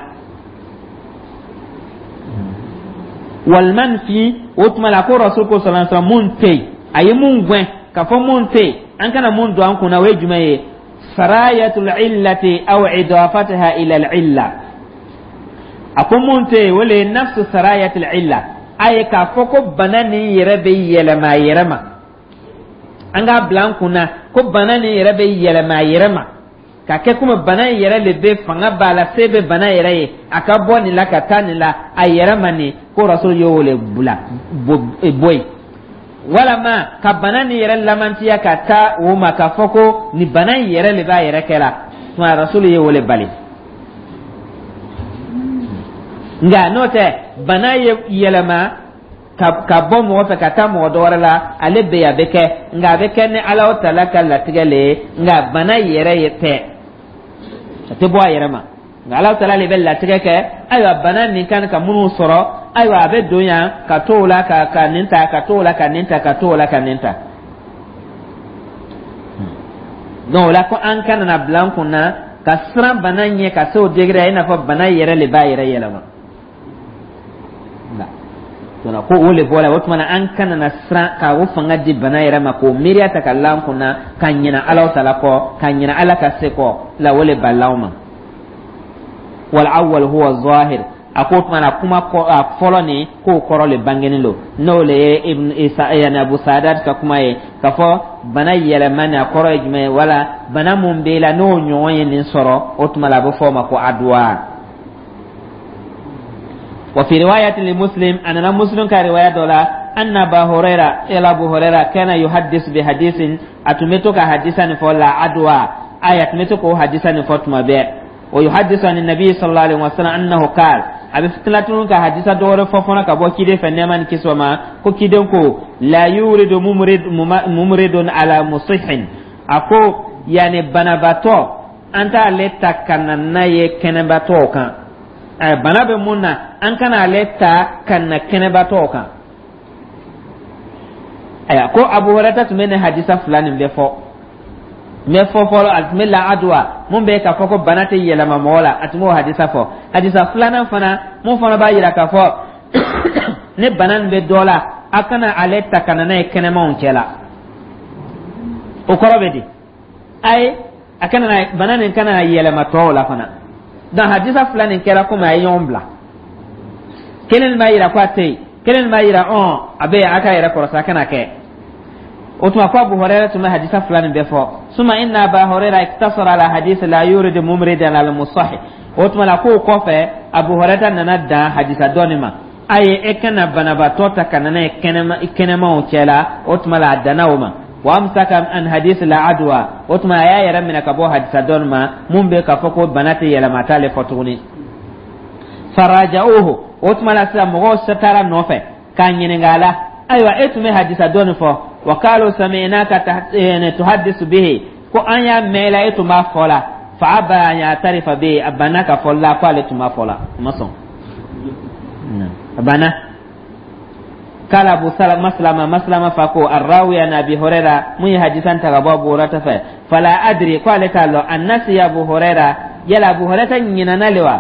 Walmanfi, o tuma la, ko rasul ko sallallahu alaihi wasallam, mun tɛ yen, a ye mun gɛn k'a fɔ mun tɛ yen, an kana mun don an kunna, o ye jumɛn ye? Sarayatul illati aw idafataha ila al illa. A ko mun tɛ yen, o le ye nafsu sarayatul illa, a ye k'a fɔ ko bana nin yɛrɛ bɛ yɛlɛma a yɛrɛ ma. An k'a bila an kunna ko bana nin yɛrɛ bɛ yɛlɛma a yɛrɛ ma, ka kɛ komi bana in yɛrɛ de bɛ fanga b'a la, se bɛ bana yɛrɛ ye, a ka bɔ nin la ka taa nin la a yɛrɛ ma. Nin ko rasul y'o le bila bɔ yen, walama ka bana nin yɛrɛ lamantiya ka taa o ma, k'a fɔ ko nin bana in yɛrɛ de b'a yɛrɛ kɛ la, tuma rasul ye o le bali. Nka n'o tɛ, bana ye yɛlɛma ka ka bɔ mɔgɔ fɛ ka taa mɔgɔ dɔ wɛrɛ la, ale bɛ yen, a bɛ kɛ, nka a bɛ kɛ ni Alahu taala ka latigɛ le ye. Nka bana yɛrɛ ye tɛ, a tɛ bɔ a yɛrɛ ma, nka Alahu taala de bɛ latigɛ kɛ. Ayiwa, bana nin kan ka minnu sɔrɔ, ayiwa, a bɛ don yan ka t'o la ka ka nin ta, ka t'o la ka nin ta, ka t'o la ka nin ta. Donc o la, ko an kana na bila an kun na ka siran bana ɲɛ ka se o degré i n'a fɔ bana yɛrɛ de b'a yɛrɛ yɛlɛma. Ko o le bɔra o tuma na, an kana na siran ka o fanga di bana yɛrɛ ma, k'o miiriya ta ka la an kunna, ka ɲinɛ Ala ta la kɔ, ka ɲinɛ Ala ka se kɔ la, o le balila anw ma. Wal awwal huwa zahir. A ko tuma na, kuma fɔlɔ nin, k'o kɔrɔ le bangenen don, n'o le ye Ibn Isa, yani Abu Sadat ka kuma ye, k'a fɔ bana yɛlɛma nin, a kɔrɔ ye jumɛn ye? Wala bana mun b'e la, n'o ɲɔgɔn ye nin sɔrɔ, o tuma la a bɛ fɔ o ma ko aduwa. وفي رواية لمسلم أن مسلم كرواية دولا أن أبا هريرة إلى أبو هريرة كان يحدث بحديث، أتمتك حديثا فلا عدوى آية أتمتك حديثا فتما بي ويحدث عن النبي صلى الله عليه وسلم أنه قال، a bɛ tila tuguni ka hadisa dɔwɛrɛ fɔ fana ka bɔ kiden fɛ, nɛɛma ni kisi ma, ko kiden ko: la yuridu mumridun ala musihin. A ko yani banabaatɔ, an t'ale ta ka na n'a ye kɛnɛbatɔw kan. Bana bɛ mun na, an kana ale ta ka na kɛnɛbatɔw kan. Ayiwa, ko Abu Hurayra tun bɛ nin hadisa fila nin bɛɛ fɔ. N bɛ fɔ fɔlɔ, a tun bɛ la aduwa mun bɛ k'a fɔ ko bana tɛ yɛlɛma mɔgɔ la, a tun b'o hadisa fɔ. Hadisa filanan fana, mun fana b'a yira k'a fɔ ni bana nin bɛ dɔ la, a kana ale ta ka na n'a ye kɛnɛmanw cɛ la, o kɔrɔ bɛ di? Ayi, a kana na bana nin kana yɛlɛma tɔw la fana. Donc hadisa fila nin kɛra komi a ye ɲɔgɔn bila. Kelen nin b'a yira ko a tɛ yen, kelen nin b'a yira ɔn a bɛ yen, a k'a yɛrɛ kɔrɔsi, a kana kɛ. O tuma ko Abu Hurayra tun bɛ hadisa fila nin bɛɛ fɔ. Suma inna Aba Hurayra iktasara ala hadisi la yuridu mumridan al musahih. O tuma la, k'o kɔfɛ, Abu Hurayra nana dan hadisa dɔ nin ma: a ye e kana banabaatɔ ta ka na n'a ye kɛnɛmaw cɛ la. O tuma la, a danna o ma. Wa amsaka an hadisi la adwa. O tuma a y'a yɛrɛ minɛ ka bɔ hadisa dɔ nin ma, mun bɛ k'a fɔ ko bana tɛ yɛlɛma, t'ale fɔ tuguni. Faraja'uhu. O tuma la sisan, mɔgɔw taara nɔfɛ k'a ɲininka a la: ayiwa, e tun bɛ hadisa dɔ nin fɔ. Wa qalu sami'naka tuhaddisu bihi, ko an y'a mɛn la, e tun b'a fɔ la. Fa aba an ya'tarifa bihi, a banna ka fɔ la ko ale tun b'a fɔ la, a ma sɔn, a banna. قال أبو سلمة مسلمة مسلمة فكو الراوي عن أبي هريرة من حديثا تغبى أبو هريرة، فلا أدري، قال تعالى أنسي أبو هريرة، يلا أبو هريرة ينانا لوا،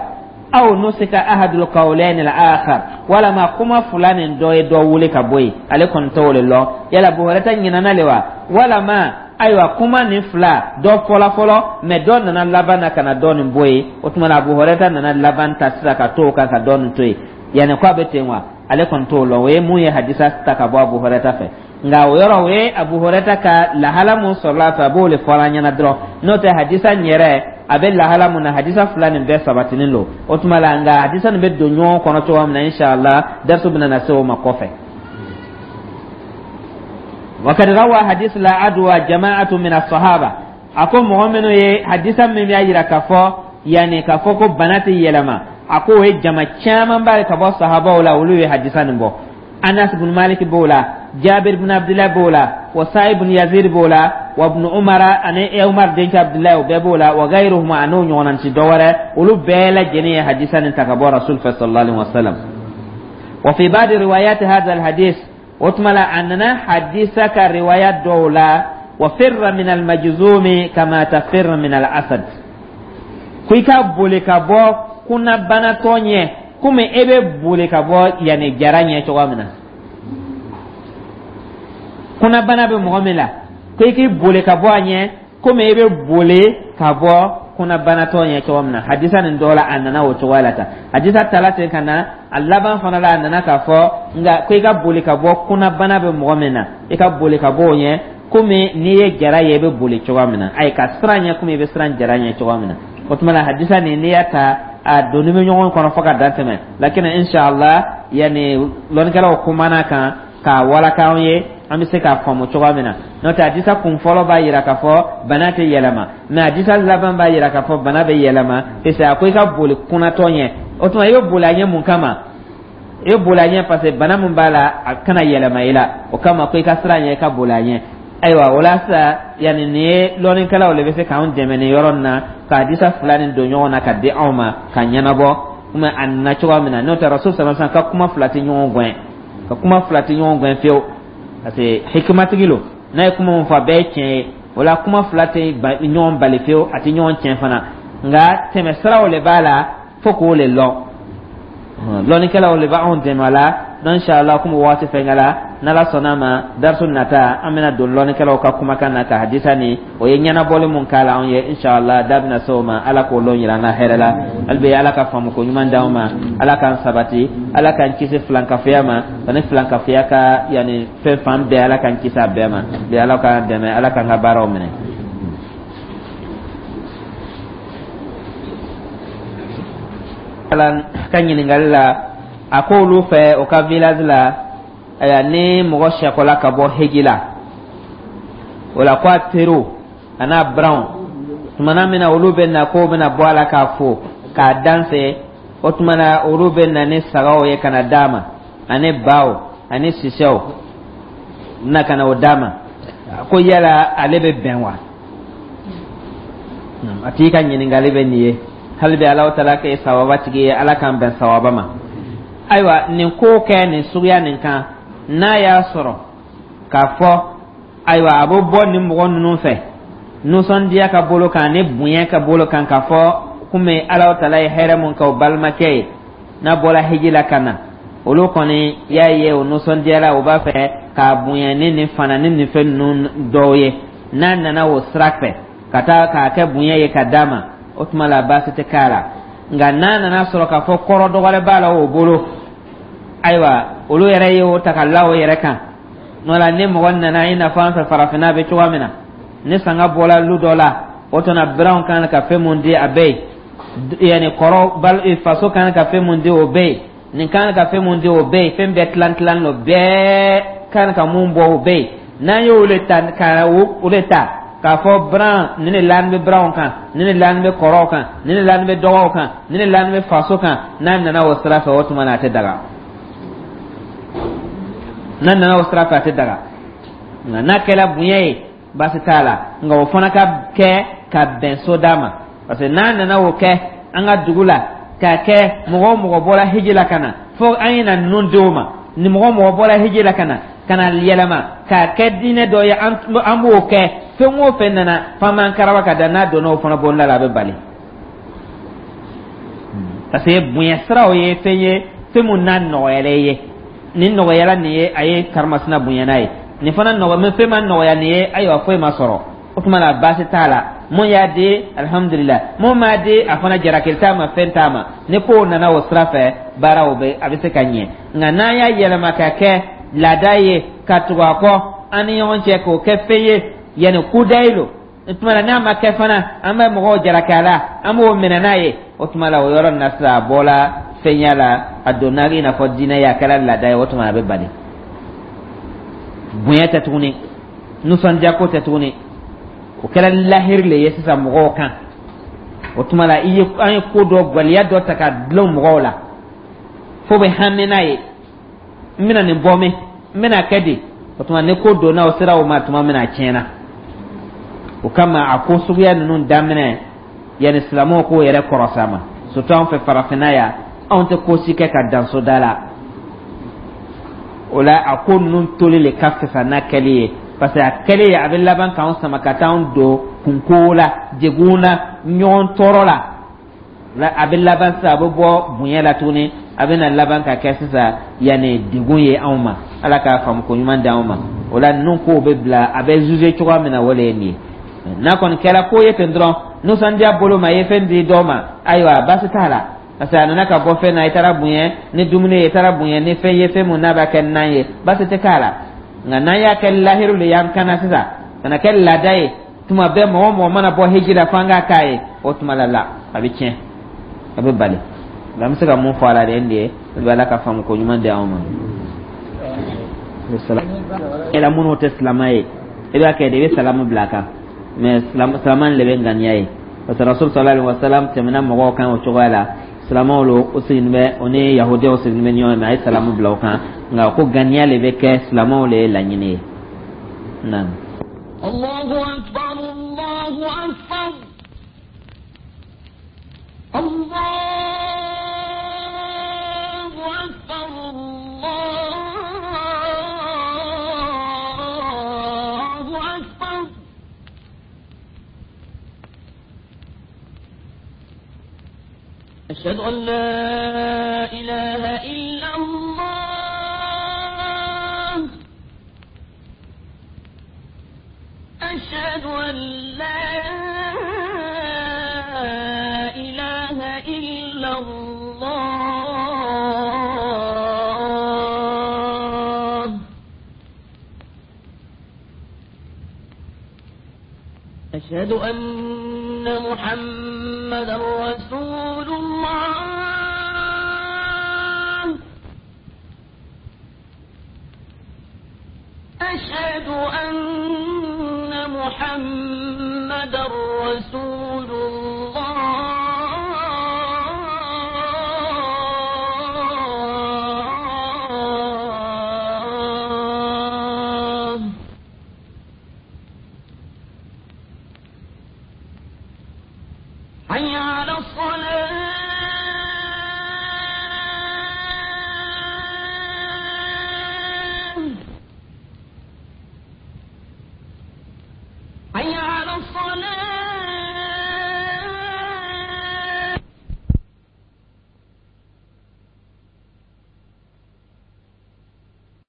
أو نسك أحد القولين الآخر، ولا ما كما فلان دو دو ولي كبوي على كنترول الله، يلا أبو هريرة ينانا لوا، ولا ما ayiwa kuma nin fila dɔ fɔla fɔlɔ, mɛ dɔ nana laban na ka na dɔ nin bɔ yen. O tuma na, Abu Hurairah nana laban ta sisan ka to o kan ka dɔ nin to yen. Yanni ko a bɛ ten wa, ale kɔni t'o lɔn. O ye mun ye hadisa ta ka bɔ Abu Hurairah fɛ. Nka o yɔrɔ, o ye Abu Hurairah ka lahala mun sɔrɔla a fɛ, a b'o de fɔ an ɲɛna dɔrɔn. N'o tɛ, hadisa in yɛrɛ a bɛ lahala mun na, hadisa fila nin bɛɛ sabatinin don. O tuma la, nka hadisa nin bɛ don ɲɔgɔn kɔnɔ cogoya min na, inshallah darisu bɛna na se o ma kɔfɛ. وقد روى حديث لا عدوى جماعة من الصحابة. A ko mɔgɔ minnu ye hadisa min b'a yira k'a fɔ yanni k'a fɔ ko bana tɛ yɛlɛma, a ko o ye jama caman ba ye ka bɔ sahabaw la, olu ye hadisa nin bɔ. Anas bin Malik b'o la, Jabir bin Abdullah b'o la, wa Sa'ib bin Yazid b'o la, wa ibn Umar ani Umar denkɛ Abdullah, o bɛɛ b'o la, wa gairuhum, an'o ɲɔgɔnna ci dɔ wɛrɛ, olu bɛɛ lajɛlen ye hadisa nin ta ka bɔ Rasul fɛ sallallahu alaihi wasallam. Wa fi ba'd riwayat hadha al-hadith, o tuma la, a nana hadisa ka riwaya dɔw la: wa firra min al-majzumi kama tafirra min al-asad, ko i ka boli ka bɔ kunnabanatɔ ɲɛ komi e bɛ boli ka bɔ yanni jara ɲɛ cogoya min na. Kunnabana bɛ mɔgɔ min la, ko i k'i boli ka bɔ a ɲɛ komi e bɛ boli ka bɔ kunnabanatɔ ɲɛ cogo min na. Hadisa nin dɔw la, a nana o cogoya la tan. Hadisa tala ten ka na a laban fana la, a nana k'a fɔ nka ko i ka boli ka bɔ kunnabana bɛ mɔgɔ min na, i ka boli ka bɔ o ɲɛ komi n'i ye jara ye, i bɛ boli cogoya min na. Ayi, ka siran ɲɛ komi i bɛ siran jara ɲɛ cogoya min na. O tuma na, hadisa nin, n'i y'a ta, a donni bɛ ɲɔgɔn kɔnɔ fo ka dan tɛmɛ. Lakin inshallah, yanni lɔnnikɛlaw kumana kan k'a walaka an ye, an bɛ se k'a faamu cogoya min na. N'o tɛ, hadisa kun fɔlɔ b'a yira k'a fɔ bana tɛ yɛlɛma, mɛ hadisa laban b'a yira k'a fɔ bana bɛ yɛlɛma, parce que a ko i ka boli kunnatɔ ɲɛ. O tuma, i bɛ boli a ɲɛ mun kama? I bɛ boli a ɲɛ parce que bana min b'a la, a kana yɛlɛma i la. O kama ko i ka siran ɲɛ, i ka boli a ɲɛ. Ayiwa, o la sisan, yanni nin ye lɔnnikɛlaw de bɛ se k'anw dɛmɛ nin yɔrɔ nin na, ka hadisa fila nin don ɲɔgɔn na ka di anw ma ka ɲɛnabɔ komi a nana cogoya min na. N'o tɛ, Rasul sallallahu alaihi wasallam ka kuma fila tɛ ɲɔgɔn gɛn, ka kuma fila tɛ ɲɔgɔn gɛn fiyewu, parce que hikimatigi lo. N'a ye kuma min fɔ, a bɛɛ ye tiɲɛ ye. O la, kuma fila tɛ ɲɔgɔn bali fiyewu, a tɛ ɲɔgɔn tiɲɛ fana. Nka tɛmɛsiraw de b'a la fo k'o le lɔn. Lɔnnikɛlaw de b'anw dɛmɛ a la. Donc inshallah, komi waati fɛnkɛla, n'Ala sɔnna ma, darisu nata an bɛna don lɔnnikɛlaw ka kumakan na ka hadisa ni o ye ɲɛnabɔli mun k'a la anw ye. Inshallah, da bɛna se o ma. Ala k'o lɔn yira an na hɛrɛ la. Hali bi, Ala ka faamuko ɲuman d'anw ma, Ala k'an sabati, Ala k'an kisi filankafoya ma ani filankafoya ka yanni fɛn fan bɛɛ, Ala k'an kisi a bɛɛ ma bi. Ala k'an dɛmɛ, Ala k'an ka baaraw minɛ. Ala ka ɲininkali la, a ko olu fɛ o ka village la, ayiwa, ni mɔgɔ sɛkɔla ka bɔ heji la, o la ko a teriw a n'a biranw, tumana min na olu bɛ na k'o bɛna bɔ a la k'a fo k'a danse, o tuma na olu bɛ na ni sagaw ye ka na d'a ma, ani baw ani sisɛw na ka na o d'a ma. Ko yala ale bɛ bɛn wa? A tigi ka ɲininkali bɛ nin ye. Hali bi, Alahu taala kɛ sawaba tigi ye, Ala k'an bɛn sawaba ma. Ayiwa, nin ko kɛ nin suguya nin kan, n'a y'a sɔrɔ k'a fɔ ayiwa, a bɛ bɔ nin mɔgɔ ninnu fɛ nisɔndiya ka bolo kan ni bonya ka bolo kan, k'a fɔ komi Alahu taala ye hɛrɛ mun kɛ o balimakɛ ye n'a bɔra hiji la ka na, olu kɔni y'a ye o nisɔndiyara, o b'a fɛ k'a bonya ni nin fana ni nin fɛn ninnu dɔw ye, n'a nana o sira fɛ ka taa k'a kɛ bonya ye ka d'a ma, o tuma la baasi tɛ k'a la. Nka n'a nana sɔrɔ k'a fɔ kɔrɔ dɔ wɛrɛ b'a la o bolo, ayiwa, olu yɛrɛ ye o ta ka la o yɛrɛ kan. N'o la ni mɔgɔ nana, i n'a fɔ an fɛ farafinna bɛ cogoya min na, ni sanga bɔra lu dɔ la, o tuma biranw kan ka fɛn mun di, a bɛ yen, yanni kɔrɔ bal faso kan ka fɛn mun di, o bɛ yen, nin kan ka fɛn mun di, o bɛ yen, fɛn bɛɛ tilan tilan lo, bɛɛ kan ka mun bɔ, o bɛ yen. N'an y'o le ta ka o le ta k'a fɔ biran nin de laani bɛ biranw kan, nin de laani bɛ kɔrɔw kan, nin de laani bɛ dɔgɔw kan, nin de laani bɛ faso kan, n'a nana o sira fɛ, o tuma na a tɛ daga. N'a nana o sira fɛ, a tɛ daga. Nka n'a kɛra bonya ye, baasi t'a la, nka o fana ka kɛ ka bɛn soda ma, parce que n'a nana o kɛ an ka dugu la, k'a kɛ mɔgɔ o mɔgɔ bɔra hiji la ka na, fo an ye na ninnu di o ma, ni mɔgɔ o mɔgɔ bɔra hiji la ka na ka na yɛlɛma k'a kɛ diinɛ dɔ ye, an b'o kɛ, fɛn o fɛn nana f'an b'an karaba ka da, n'a donna o fana bonda la, a bɛ bali, parce que bonya siraw ye fɛn ye, fɛn mun n'a nɔgɔyara i ye. Nin nɔgɔyara nin ye, a ye karimasina bonya n'a ye, nin fana nɔgɔ fɛn ma nɔgɔya nin ye, ayiwa, foyi ma sɔrɔ, o tuma na baasi t'a la. Mun y'a di, alihamudulila, mun m'a di, a fana jarakili t'a ma, fɛn t'a ma. Ni kow nana o sira fɛ, baaraw bɛ a bɛ se ka ɲɛ. Nka n'an y'a yɛlɛma ka kɛ laada ye ka tugu a kɔ an ni ɲɔgɔn cɛ, k'o kɛ fɛn ye yanni kudayi lo, o tuma na n'a ma kɛ fana, an bɛ mɔgɔw jalaki a la, an b'o minɛ n'a ye, o tuma la o yɔrɔ nin na sisan, a bɔla fɛnya la, a donna i n'a fɔ diinɛ ye, a kɛra laada ye, o tuma a bɛ bali. Bonya tɛ tuguni, nisɔndiya ko tɛ tuguni, o kɛra lahiri le ye sisan mɔgɔw kan. O tuma la i ye an ye ko dɔ gwaliya dɔ ta ka dulon mɔgɔw la fo bɛ hami n'a ye, n bɛna nin bɔ min, n bɛna kɛ di. O tuma ni ko donna o sera o ma tuma min na, a tiɲɛna. O kama a ko suguya ninnu daminɛ yanni silamɛw k'o yɛrɛ kɔrɔsa ma, surtout an fɛ farafinna yan, anw tɛ ko si kɛ ka dan soda la. O la a ko ninnu toli le ka fisa n'a kɛli ye, parce que a kɛli a bɛ laban k'anw sama ka taa anw don kunko la, degun na, ɲɔgɔn tɔɔrɔ la. A bɛ laban sisan, a bɛ bɔ bonya la tuguni, a bɛ na laban ka kɛ sisan yanni degun ye anw ma. Ala k'a faamu ko ɲuman di anw ma. O la ninnu kow bɛ bila, a bɛ juger cogoya min na, o de ye nin ye. N'a kɔni kɛra ko ye ten dɔrɔn, nisɔndiya bolo ma, i ye fɛn di dɔ ma, ayiwa, baasi t'a la, parce que a nana ka bɔ fɛn na, i taara bonya ni dumuni ye, i taara bonya ni fɛn ye, fɛn mun n'a b'a kɛ nan ye, baasi tɛ k'a la. Nka n'an y'a kɛ lahiru de y'an kana sisan, ka na kɛ laada ye, tuma bɛɛ mɔgɔ o mɔgɔ mana bɔ hiji la f'an k'a k'a ye, o tuma la la a bɛ tiɲɛ, a bɛ bali. Nka an bɛ se ka mun fɔ a la de, nin de ye o bɛ Ala ka faamu ko ɲuman di anw ma. E la minnu tɛ silamɛ ye, i b'a kɛ de, i bɛ salamu bila a kan, mais silamɛ le bɛ ŋaniya ye, parce que Rasul sallallahu alaihi wa sallam tɛmɛna mɔgɔw kan o cogoya la. Silamɛw lo o sigilen bɛ, o ni yahudiyaw sigilen bɛ ɲɔgɔn ye, mais a ye salamu bila o kan, nka ko ŋaniya le bɛ kɛ, silamɛw le ye laɲini ye. Naam. الله أكبر، الله أكبر، الله أكبر، الله أكبر. أشهد أن لا إله إلا الله. أن لا إله إلا الله. أشهد أن محمدا رسول الله. أشهد أن محمدا رسول الله. حي على الصلاة.